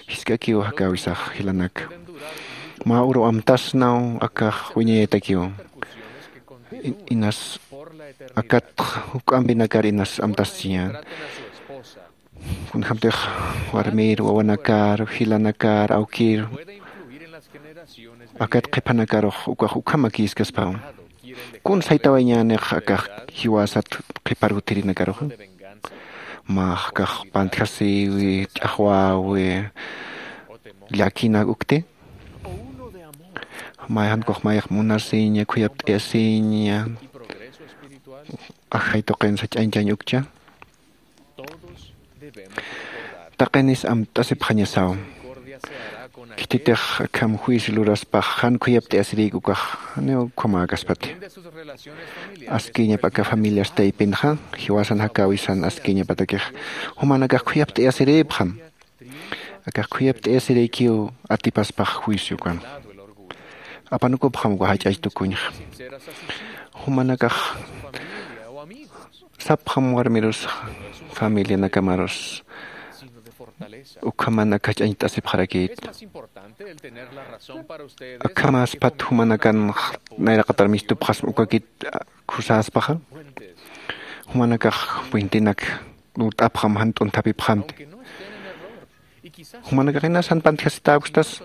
Jisk'akiw jakäwisax jilanak mä uru amtasnaw akax wiñayatakiw. Inas akatx juk'ampinakar inas amtaschiñän. Kunjämtix warmir wawanakar jilanakar awkir akat qhipanakarux ukax ukhamakïskaspaw. Kun saytawayñänix akax jiwasat qhipar utjirinakaruxa? Mä akax pantjasiwi, ch'axwäwi, llakinak ukti? Mayjankux mayjax munasiña khuyapt'ayasiña ajay tuqin sach'añchañ ukcha? Taqinis amt'asipxañasaw. Khititix akham juicio luraspax jan khuyapt'ayasirïk ukax janiw ukhamäkaspati. Askiñap aka familias taypinxa jiwasan jakäwisan askiñapatakix jumanakax khuyapt'ayasirïpxam. Akax khuyapt'ayasirïkiw atipaspax juicio ukan. Apanukupxam uka jach'ach tukuñxa. Jumanakax sapxam warmirus familianakamarus ukhaman aka jach'añcht'asipxarakït. Akhamaspat jumanakan nayraqatar mistupxasma ukakit khusäspaxa. Jumanakax puentinak lurt'apxam jan t'unthapipxamti. Jumanakax inas jan pantjasitäpkstas.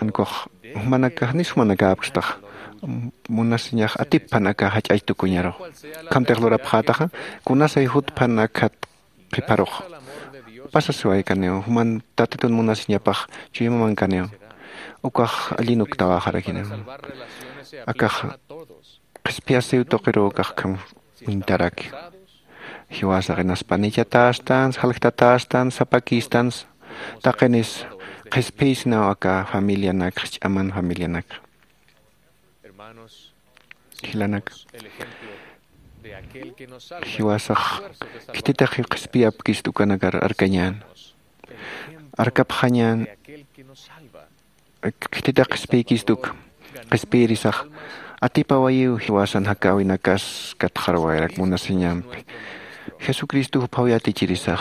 Jankux jumanakax nis jumanakäpkstax. Munasiñax atippan aka jach'ach tukuñarux. Ukhamtix lurapxätaxa kunasay jutpan akhat qhiparux. Pasasiwaykaniw juman tatitun munasiñapax chuyamamankaniw. Ukax allinuktawaxarakiniw. Akax qhispiyasiw tuqiruw akax kham uñtaraki. Jiwasax inas panichatästans jaljtatästans sapakïstans. Taqinis qhispiyisnaw aka familianak jisch'aman familianak. Jilanak, jiwasax khititix qhispiyapkist ukanakar arkañän. Arkapxañän. Khititix qhispiykist uk qhispiyirisax atipawayiw jiwasan jakäwinakas katxarwayarak munasiñampi. Jesucristo juphaw yatichirisax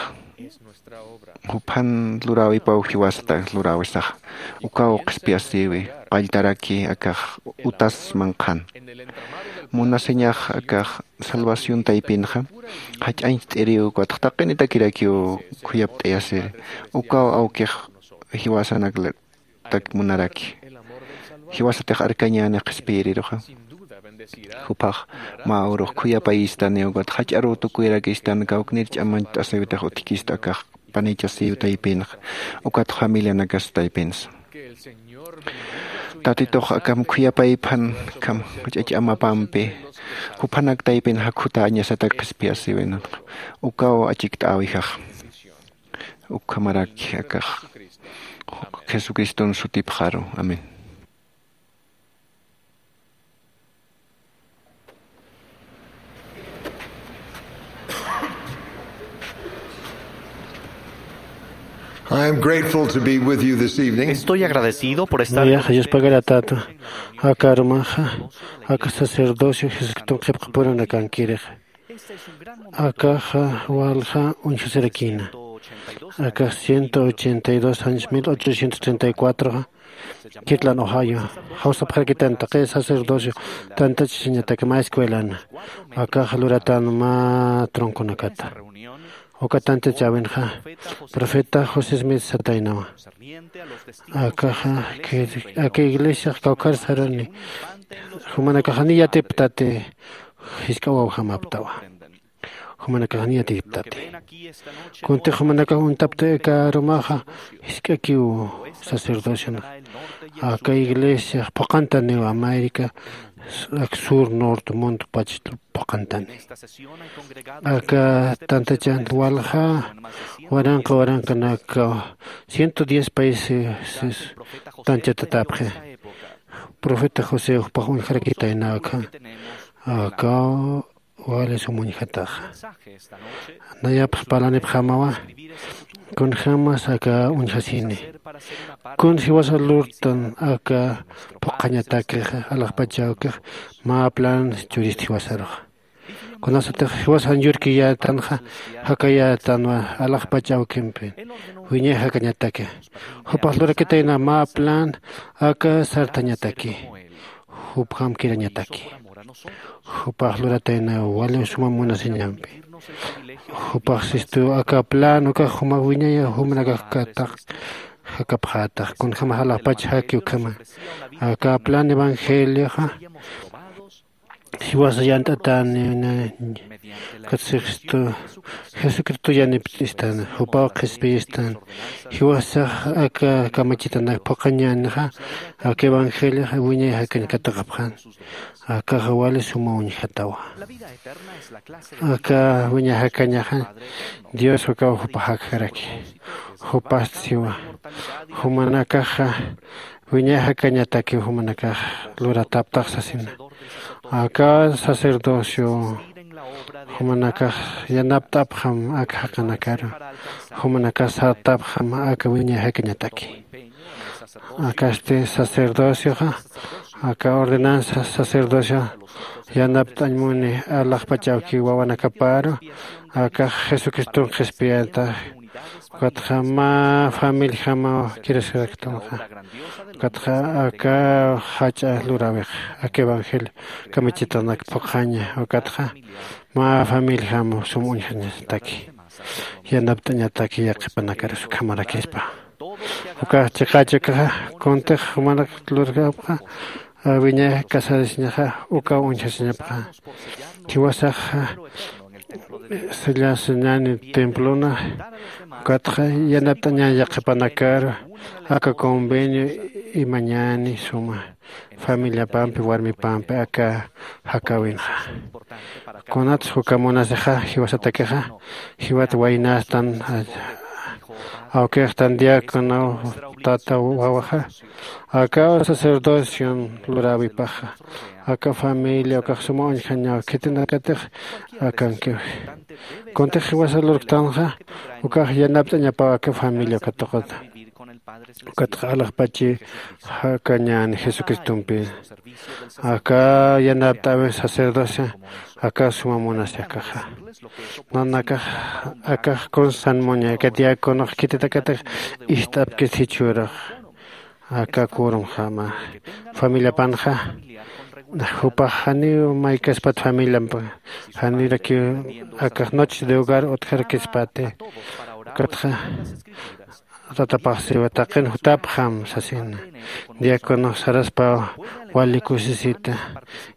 juphan luräwipaw jiwasata luräwisax. Ukaw qhispiyasïwi qalltaraki akax utas manqhan. Munasiñax akax salvación taypinxa jach'añcht'iriw ukatx taqinitakirakiw khuyapt'ayasiri. Ukaw awkix jiwasanak munaraki. Jiwasatix arkañäni qhispiyiriruxa. Juphax mä urux khuyapayistani ukat jach'aruw tukuyarakistan kawknir ch'amañcht'asiwitix utjkista akax panichasiw taypinxa ukat familianakas taypinsa. Tatitux akham khuyapayphan akham jach'ach amapampi juphanak taypin jakhutäñasatak qhispiyasiwinanxa. Ukaw achikt'äwijax. Ukhamaraki akax jesucriston sutipxaru. Amén. I am grateful to be with you this evening. Estoy agradecido por estar. Nayaxa yuspagaratata aka arumaxa aka sacerdocio jesucriston qhipqapuranakankirexa. Akaxa walja uñjasirakina. Akax ciento ochenta y dos años mil ochocientos treinta y cuatro, kirtlan ojayo jawsapxarakitanta qi sacerdocio tantachisañataka mä escuelana. Akaxa luratan mä tronconakata. Uka tantachäwinxa profeta josé smith sataynawa. Akaxa aka iglesiax kawkhar sarani. Jumanakaxani yatiptati jisk'a wawjamaptawa. Jumanakaxani yatiptati. Kuntix jumanakax uñtapta aka arumaxa jisk'akiw sacerdociona. Aka iglesiax phuqantaniw américa ak sur norte mundo pach phuqantani. Aka tantachan walja waranqa waranqanakaw ciento diez países tanchatatapxi. Profeta josé jupax uñjarakitayna akha. Akaw wali sum uñjataxa. Nayapax parlanipxamawa kunjämas aka uñjasini. Kun jiwasa lurtan aka phuqhañatakixa alaxpachawkix mä plan churist jiwasaruxa. Kunasatix jiwasan yurkiyätanxa jakayätanwa alaxpach awkimpi wiñay jakañataki. Jupax lurakitayna mä plan aka sartañataki. Jupjam kirañataki. Jupax luratayna wali suma munasiñampi. Jupax sistu aka plan ukax jumax wiñaya jumanakax kataq jakapxätax kunjämas alaxpach jaki ukhama. Aka plan evangelioxa jiwasa yant'atani, kat sixstu jesucristo yanipt'istan, jupaw qhispiyistan. Jiwasax aka kamachitanak phuqhañänixa aka evangelioxa wiñay jakañ katuqapxan. Akaxa wali suma uñjatawa. Aka wiñay jakañaxa dios ukaw jupa jakjaraki. Jupast siwa jumanakaxa wiñay jakañatakiw jumanakax lurataptax sasina. Aka sacerdocio jumanakax yanapt'apxam aka jaqinakaru. Jumanakax sartapxam aka wiñay jakañataki. Akasti sacerdocioxa aka ordenanza sacerdocio yanapt'añ muni alaxpach awki wawanakaparu akax jesucriston qhispiyata. Ukatxa mä familjamaw kirasiraktunxa. Ukatxa aka jach'a luräwix aka evangelio kamachitanak phuqhaña ukatxa mä familjamaw sum uñjañataki yanapt'añataki yaqhipanakarus ukhamarakispa. Ukax chiqächi ukaxa kuntix jumanak lurkapxa wiñay casarasiñaxa ukaw uñjasiñapxa. Jiwasaxa sillasiñäni templona ukatxa yanapt'añäni yaqhipanakaru aka convenio imañäni suma familiapampi warmipampi aka jakäwinxa. Kunatsa juka munasixa jiwasatakixa jiwat waynastan awkixtan diácono tata wawaxa akaw sacerdocion luräwipaxa aka familia ukax suma uñjañaw khitinakatix akankiwi. Kuntix jiwasa lurktanxa ukax yanapt'añapaw aka familia uka tuqita. Ukatxa alaxpachi jakañäni jesucristompi aka yanapt'äwi sacerdocia aka suma munasi akaxa. Nanakax akax kunsa san muña aka diáconox khititakatix ist'apkis jichhürux aka kurumxama familiapanxa jupax janiw maykaspat familiampa janirakiw akax noches de hogar utjarakispati. Ukatxa tatapax siwa taqin jutapxam sasina. Diáconox saraspaw wali kusisita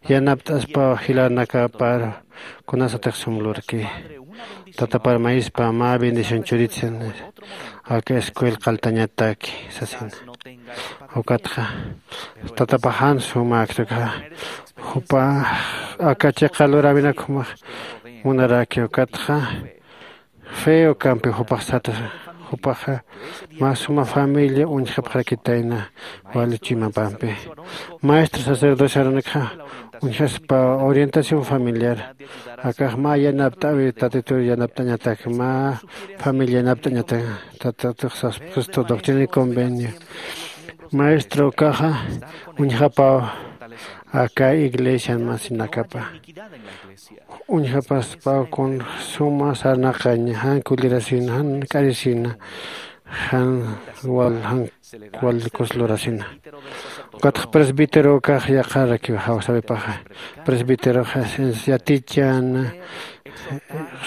yanapt'aspaw jilanakapar kunasatix sum lurki. Tatapar mayispa mä bendición churitsin aka escuel qaltañataki sasina. Ukatxa tatapaxan sumäkta ukaxa jupa aka chiqa luräwinak jumax munaraki ukatxa fe ukampi jupax sata jupaxa mä suma familia uñjapxarakitayna wali chuymapampi. Maestro sacerdocio aranakxa uñjaspa orientación familiar akax mä yanapt'äwi tatitur yanapt'añatak mä familia yanapt'añatak. Tatatux saspastu doctrina y convenio maestro ukaxa uñjapaw aka iglesian masinakapa uñjapaspaw kun suma sarnaqaña jan kullirasina jan k'arisina jan wal jan wal kuslurasina. Ukatxa presbítero ukax yaqharakiw jawsawipaxa presbíteroxa yatichana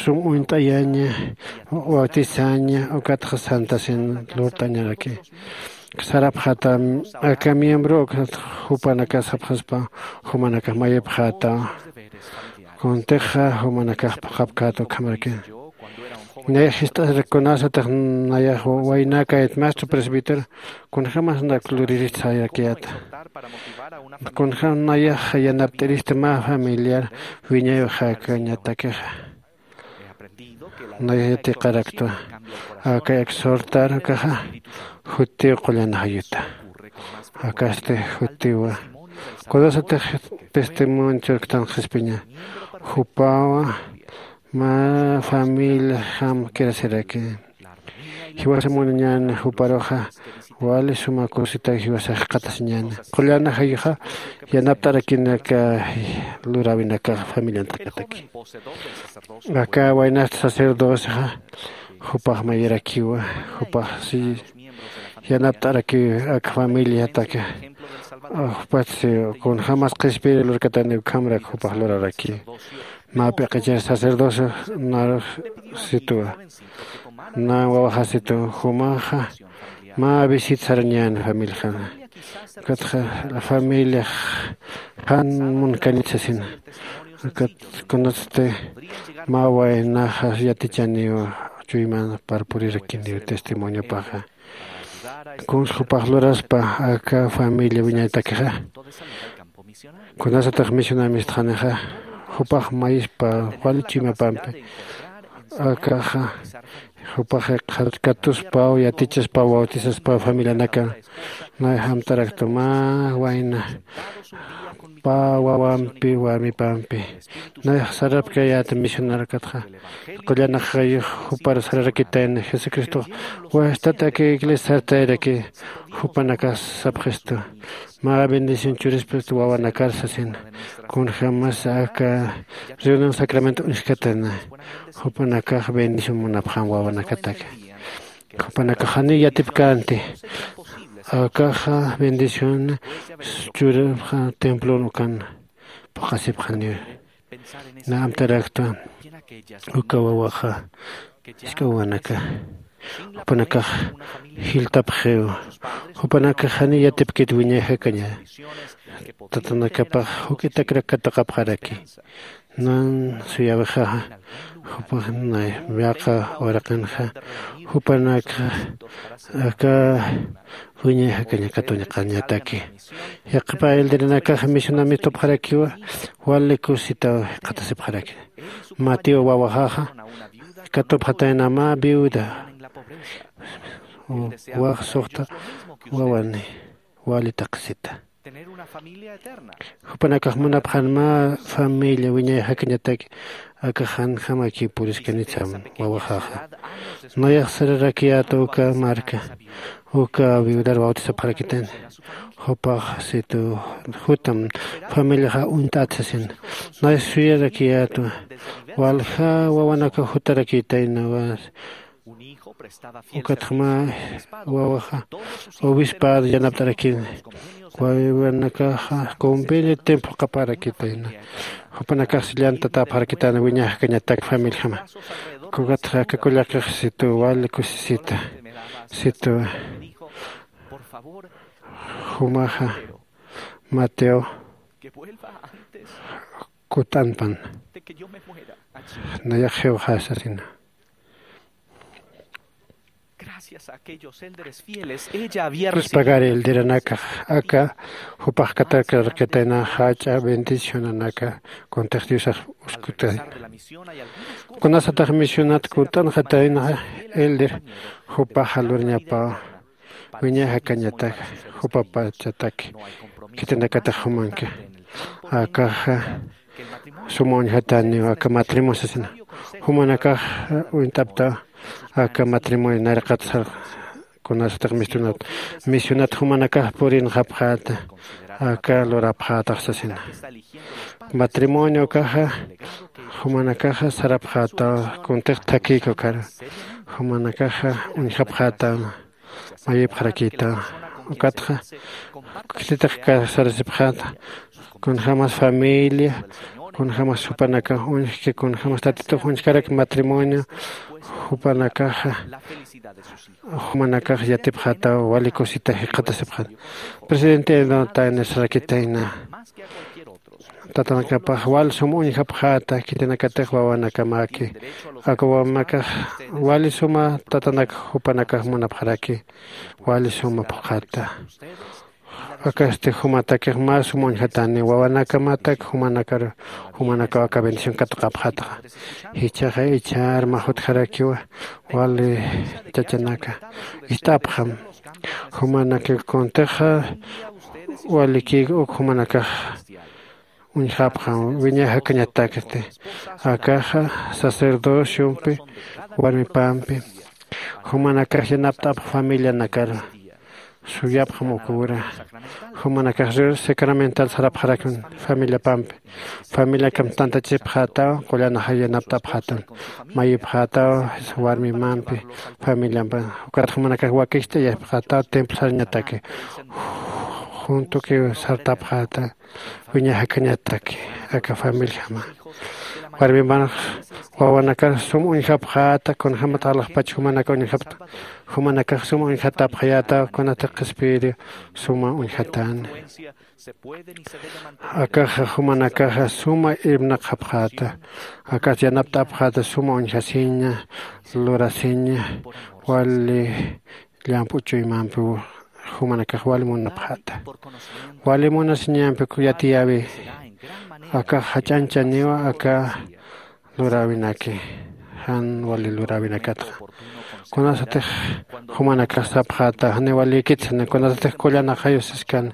sum uñt'ayaña bautizaña ukatxa santasin lurt'añaraki. Sarapxata aka miembro ukatxa jupanakas sapxaspa jumanakax mayipxata kuntixa jumanakax phuqhapkata ukhamaraki. Nay jist'asrak kunasatix nayax waynakayat maestro presbítero kunjämas nak luriristi sayarakiyata. Kunjäm nayax yanapt'iristi mä familiar wiñay jakañatakixa. Nayax yatiqaraktwa aka exhortar ukaxa jutiw qullan ajayuta. Akasti jutiwa kunasatix testimonio churktan qhispiña jupawa mä familiajam kirasiraki. Jiwasa munañäni juparuxa wali suma kusita jiwasa jikxatasiñäni qullan ajayuxa yanapt'arakinaka luräwinakax familiantakataki. Aka waynasta sacerdocexa jupax mayirakiwa jupax si yanapt'arakiw aka familiataka. Jupatsi kunjämas qhispiyir lurkatani ukhamrak jupax luraraki. Mä p'iqichir sacerdocio narux situwa. Nan wawaxasitu jumaxa mä visit sarañän familixana. Ukatxa familiax jan munkanit sasina. Ukat kunatsti mä waynaxa yatichaniw chuyman parpurirakiniw testimoniopaxa. Kuns jupax luraspa aka familia wiñaytakixa. Kunasatix misionamistxanixa jupax mayispa wali chuymapampi. Akaxa jupax katuspaw yatichaspaw bautisaspaw familianaka. Nay jamtaraktu mä wayna pä wawampi warmipampi. Nayax sarapkayäta misionarkatxa qullanakxayux jupar sararakitayna jesucristox wajstat aka iglesia sartayraki. Jupanakas sapxistu mä bendición churispist wawanakar sasina. Kunjämas aka reunión sacramento uñjkatana jupanakax bendición munapxam wawanakataka. Jupanakax janiw yatipkänti. Akaxa bendición churapxa templon ukan phuqhasipxaniw. Na amtarakta uka wawaxa jisk'a wawanaka jupanakax jiltapxiw. Jupanakax janiw yatipkit wiñay jakaña tatanakapax juk'itakrak katuqapxaraki. Nan suyawixaxa jupax nay yaqa uraqinxa jupanakxa aka wiñay jakaña katuñaqañataki. Yaqhipa elderenakaxa misionamistupxarakiwa wali kusita jikxatasipxaraki. Mateo wawaxaxa katupxatayna mä viuda wax suxta wawani wali taqisita. Jupanakax munapxan mä familia wiñay jakañataki. Aka janjamakiw puriskanitsam wawaxaxa. Nayax sararakiyäta uka marka uka viudar bautisapxarakitayna. Jupax situ jutam familiaxa uñt'at sasina. Nay suyarakiyätwa walja wawanaka jutarakitayna. Ukatxa mä wawaxa obispado yanapt'arakini. Wawanakaxa convenio templo qaparakitayna. Jupanakax llantatapxarakitayna wiñay jakañatak familijama. Ukatxa aka kullakix situ wali kusisita situ jumaxa mateo kut'anpan. Nayax jiwxasasina. Pues pagari elderanakax aka jupax katarkarqitayna jach'a bendicionanaka kuntix diosax uskutayna. Kunasatax misionat kunt'anxatayna elder jupaxa lurñapaw wiñay jakañatak jupapachatak khitinakatix jumanki. Akaxa suma uñjataniw aka matrimonio sasina. Jumanakax uñt'aptaw aka matrimonio nayraqat sar kunasatix misionat misionat jumanakax purinxapxäta aka lurapxätax sasina. Matrimonio ukaxa jumanakaxa sarapxätaw kuntix thakïka ukaru jumanakaxa uñjapxätaw mayipxarakïtaw. Ukatxa khititix kasarasipxäta kunjämas familia kunjämas jupanakax uñjki kunjämas tatitux uñjkarak matrimonio jupanakaxa jumanakax yatipxätaw wali kusita jikxatasipxäta. Presidente enotayna sarakitayna tatanakapax wal sum uñjapxäta khitinakatix wawanakamaki. Aka wawanakax wali suma tatanak jupanakax munapxaraki wali suma phuqhata. Akasti jumatakix mä sum uñjatani wawanakamatak jumanakar jumanakaw aka bendición katuqapxätaxa. Jichhaxa ichhar mä jutjarakiwa wali chachanaka ist'apxam. Jumanakix kuntixa walikïk uk jumanakax uñjapxam wiñay jakañatakti. Akaxa sacerdociompi warmipampi jumanakax yanapt'apx familianakar suyapxam ukura. Jumanakax rir sacramental sarapxarakun familiapampi. Familiakam tantachipxätaw qullanaxa yanapt'apxätaw mayipxätaw warmimampi familiampa. Ukat jumanakax wakicht'ayapxätaw templo sarañataki juntukiw sartapxäta wiñay jakañataki aka familijama. Warmimanx wawanakax sum uñjapxäta, kunjämat alaxpach jumanaka uñjapta, jumanakax sum uñjatapxayäta, kunatix qhispiyiri suma uñjatäni. Akaxa jumanakaxa suma irpnaqxapxäta, akas yanapt'apxäta suma uñjasiña, lurasiña, wali llamp'u chuymampiw jumanakax wali munapxäta. Wali munasiñampi yatiyäwi, akax jach'añchaniwa aka luräwinaki, jan wali luräwinakatxa. Kunasatix jumanakax sapxäta, janiw walïkitsa, kunasatix kullanaxayu siskan,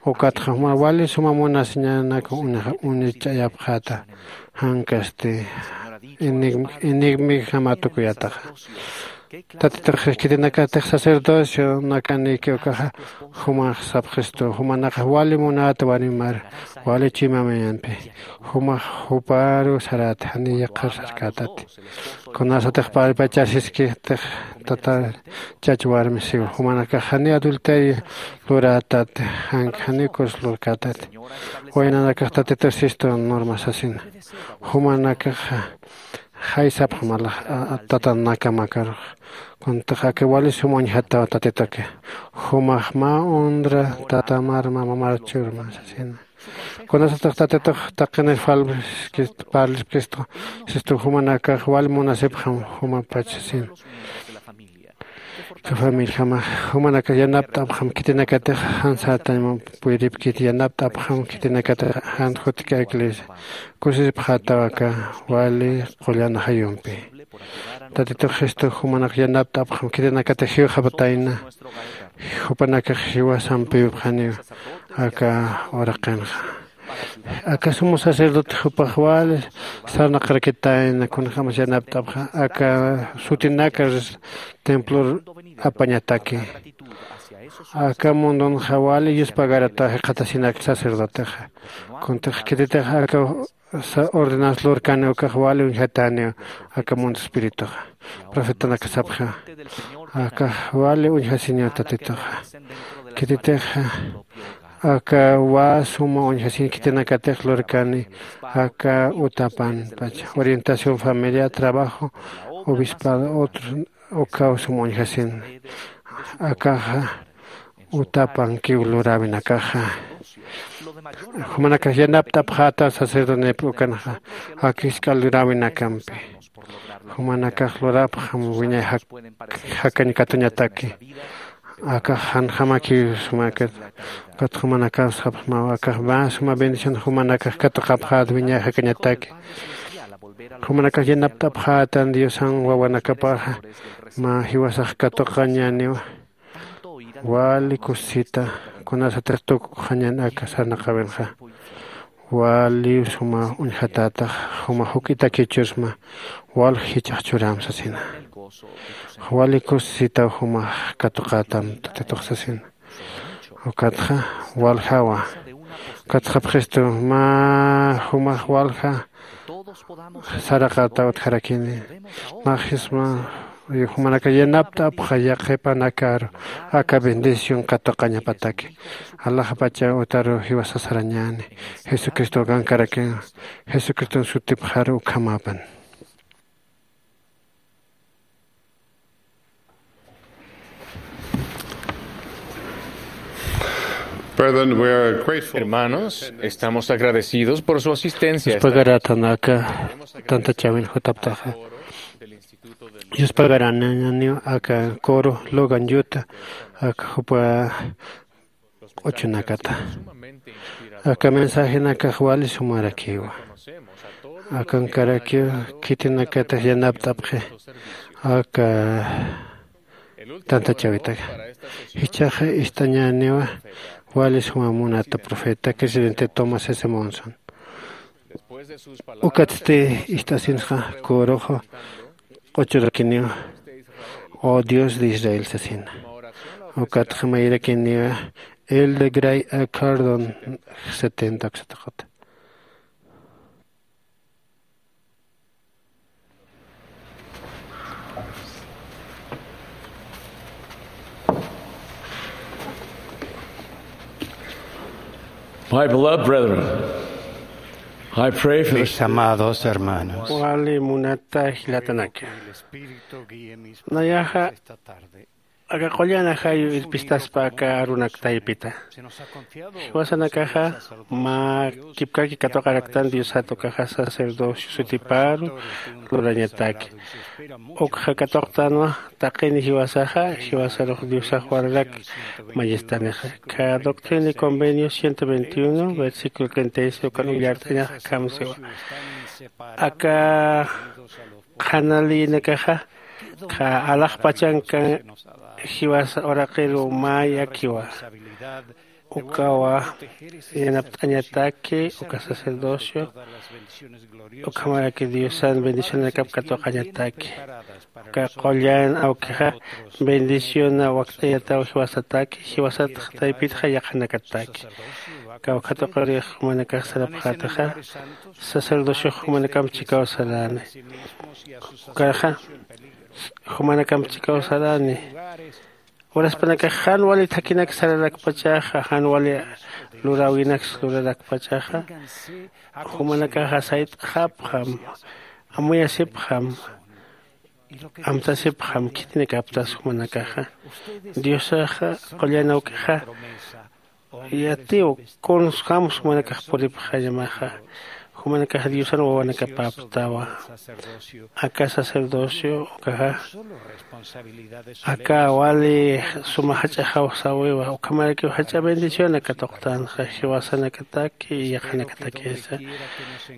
ukatxa juma wali suma munasiñanak uña-, uñich'ayapxäta, jankasti enigm-, enigmijama tukuyataxa. Tatitux khitinakatix sacerdocio nakanïki ukaxa, jumax sapxistu, jumanakax wali munäta warmimar, wali chuymamampi, jumax juparu saräta, janiy yaqhar sarkätati. Kunasatix parlpachasiskitix tata chach warmi siw, jumanakax janiy adulterio lurätati, jan-, janiy kus lurkätati. Waynanakax Tatitux sistu norma sasina. Jumanakaxa jaysapxam alax, a, a, tata naka makarux. Kunatix aka wali sum uñjataw Tatituki. Jumax mä honra tatamar, mä mamar churma sasina. Kunasatix Tatitux taqinir parlpkist-, parlpkistu, sistu jumanakax wali munasipxam jumapach sasina. Aka familiajamax, jumanakax yanapt'apxam khitinakatix jan sartañ puripkiti, yanapt'apxam khitinakatix jan jutki iglesia. Kusisipxätaw aka wali qullan ajayumpi. Tatitux Jesucristo jumanakax yanapt'apxam khitinakatix jiwxapatayna, jupanakax jiwasampipxaniw aka uraqinxa. Aka sumo sacerdote jupax wali sarnaqarakitayna, kunjämas yanapt'apxa, aka sutinaka templor apañataki. Aka mundunxa wali yuspagarata jikxatasinak sacerdotexa. Kuntix khititix aka sa-, ordenanza lurkani ukax wali uñjatäniw aka mundo espirituxa. Profetanaka sapxiwa, akax wali uñjasiñaw Tatituxa. Khititixa aka wä suma uñjasiñ khitinakatix lurkani aka utapan, pacha, orientación familiar, trabajo, obispado, otro, ukaw suma uñjasin. Akaxa utapankiw luräwinakaxa. Jumanakax yanapt'apxäta sacerdotenïpï ukanxa, aka jisk'a luräwinakampi. Jumanakax lurapxam wiñay jak-, jakañ katuñataki. Akax janjamakiw sumakat, ukat jumanakax sapxmaw, akax mä suma bendición jumanakax katuqapxät wiñay jakañataki. Jumanakax yanapt'apxätan Diosan wawanakapaxa, mä jiwasax katuqañäniwa. Wali kusisita, kunasatix tukuxañän aka sarnaqäwinxa. Wali suma uñjatätax, juma juk'itakiw chusma, walja jichhax churäm sasina. Wali kusisitaw jumax katuqätam Tatitux sasina. Ukatxa waljawa. Ukatxa pxistu mä jumax walja saraqata utjarakini. Naxisma jumanakax yanapt'apxa yaqhipanakaru aka bendición katuqañapataki. Alaxpacha utaru jiwasa sarañäni. Jesucristo akankarakiwa. Jesucriston sutipxaru ukhamäpan. Brethren, we are grateful. Hermanos, estamos agradecidos por su asistencia esta Yuspagaratan aka tantachäwin jutaptaxa. Yuspagaraniw aka coro Logan Utah, aka jupa q'uchunakata. Aka mensajenakax wali sumarakiwa. Akankarakiw khitinakatix yanapt'apxi aka tantachäwitaka. Jichhaxa ist'añäniwa wali suma munata profeta presidente Thomas S. Monson. Ukatsti ist'asinsxa coroxa q'uchurakiniwa, "Oh Dios de Israel" sasina. Ukatxa mayrakiniwa Elder Gray A. Cardon setenta uksataqata. My beloved brethren, I pray for the Mis amados hermanos. Wali munata jilatanaka. Nayaxa aka qullan ajayu irpistaspa aka arunak taypita. Jiwasanakaxa mä kipkaki katuqaraktan Diosat ukaxa sacerdocio sutiparu lurañataki. Ukxa katuqtanwa taqini jiwasaxa, jiwasarux Diosax wararak mañistanixa. Ka Doctrina y Convenios ciento veintiuno, versículo treinta y seis ukan ullart'añaxa akham siwa. Aka qhana leyinakaxa, ka alaxpachanka jiwasa uraqiru mä yakiwa. Ukawa yanapt'añataki uka sacerdocio, ukhamaraki Diosan bendicionanakap katuqañataki. Uka qullan awkixa bendiciona wakt'ayataw jiwasataki, jiwasat taypitxa yaqhanakataki. Kawkhatuqirix jumanakax sarapxätaxa, sacerdocio jumanakamp chikaw sarani. Ukarxa jumanakamp chikaw sarani. Uraspanakax jan wali thakinak sararakpachaxa, jan wali luräwinaks lurarakpachaxa, jumanakaxa sayt'xapxam, amuyasipxam, amtasipxam khitinakaptas jumanakaxa. Diosaxa qullan awkixa yatiw, kuns jams jumanakax puripxañamaxa. Jumanakax Diosan wawanakapäptawa. Aka sacerdocio ukaxa aka wali suma jach'axaw sawiwa, ukhamarakiw jach'a bendición aka tuqtanxa jiwasanakataki yaqhanakatakisa.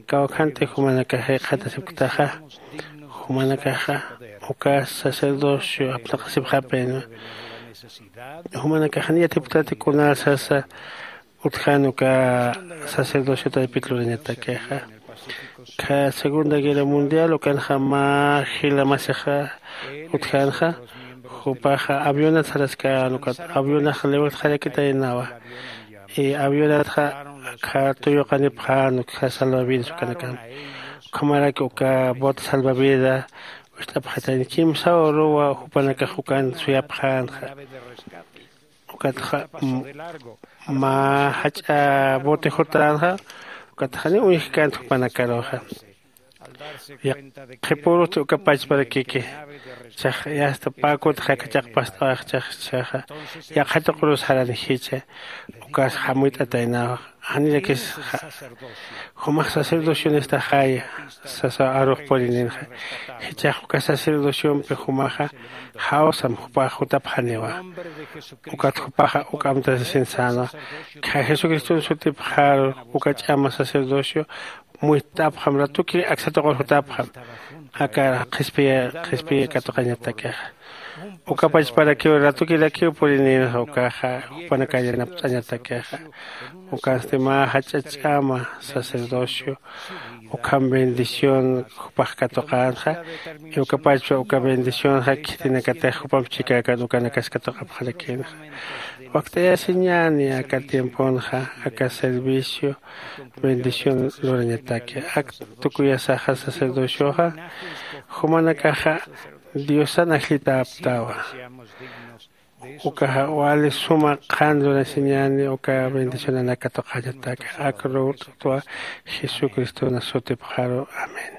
Kawkhanti jumanakax jikxatasipktaxa, jumanakaxa uka sacerdocio apnaqasipxapinwa. Jumanakax jan yatipktati kunal sasa utjan uka sacerdocio taypit lurañatakixa. Ka Segunda Guerra Mundial ukanxa mä jila masixa utjanxa, jupaxa avionat saraskän, ukat avionax liwirtxarakitaynawa. Y avionatxa akha tuyuqanipxän ukkha salvavidas ukanakamp. Ukhamaraki uka bote salvavida wist'apxatayna, kimsa uruwa jupanakax ukan suyapxänxa. Ukatxa m-, mä jach'a bote jutänxa, ukatxa janiw uñjkänti jupanakaruxa. Yaqhipürusti uka pachparakiki, chax yasta pä kutxa aka chaqpast'awax chax, chaxa yaqha tuqirus jarani jichha, ukas jamuyt'ataynawa. Janirakis ja-, jumax sacerdocionista jaya, sasa arux purininxa. Jichhax uka sacerdociompi jumaxa jawsam jupax jutapxaniwa. Ukat jupaxa uk amtasisin sänwa. Kha Jesucriston sutipxaru uka ch'ama sacerdocio muyt'apxam, ratuki aksa tuqir jutapxam. Aka qhispiya, qhispiya katuqañatakixa. Uka pachparakiw ratukirakiw purininxa ukaxa, jupanakax yanapt'añatakixa. Ukansti mä jach'a ch'ama sacerdocio, ukham bendición jupax katuqänxa, y uka pachpa uka bendicionxa khitinakatix jupamp chikäkän ukanakas katuqapxarakinxa. Wakt'ayasiñäni aka tiemponxa, aka servicio, bendición lurañataki. Ak tukuyasaxa sacerdocioxa, jumanakaxa Diosan ajllitäpktawa. Ukaxa wali suma qhan lurasiñäni uka bendicionanak katuqañataki. Ak ruwt'twa Jesucriston sutipxaru. Amén.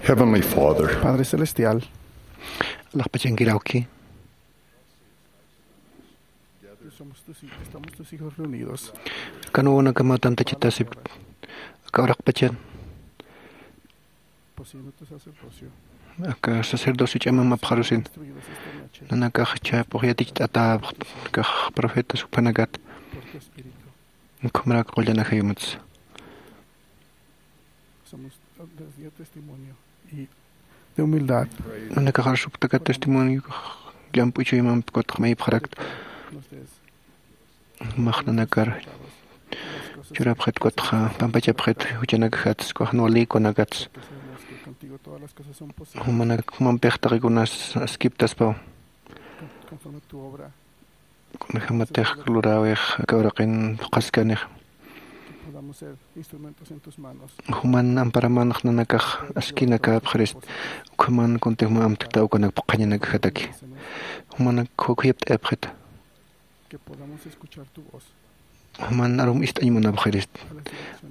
Heavenly Father, Padre Celestial, alaxpachankiraki. Somos tus hij-, estamos tus hijos reunidos. Kanwanakama tantachatasip. Aka uraqpachan. Poseyendo tu sacerdocio. Aka sacerdocio ch'amamapxarusin. Instruidos esta noche. Nanakax chhapuq yaticht'atäpx, kax profetas juphanakat. Por tu espíritu. Ukhamarak qullan ajayumats. Somos, dio testimonio y de humildad. Nanakax arsupktaka testimonio, llamp'u chuymampi kutxa mayipxarakta. Nos des-, max nanakar churapxit kutxa pampachapxit juchanakajats, ukax nuwalïkunakats. Jumanak jumampix taqikunas askiptaspaw. Conforme tu obra. Kunajamatix luräwix aka uraqin phuqhaskanix. Juman amparamanx nanakax askinakäpxirist, ukhaman kuntix mä amtkta ukanak phuqhañanakajataki. Jumanak khuyapt'ayapxita. Juman arum ist'añ munapxirist.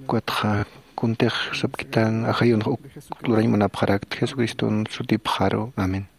Ukatxa kuntix sapkitan ajayunx uk lurañ munapxarakta, Jesucriston sutipxaru. Amén.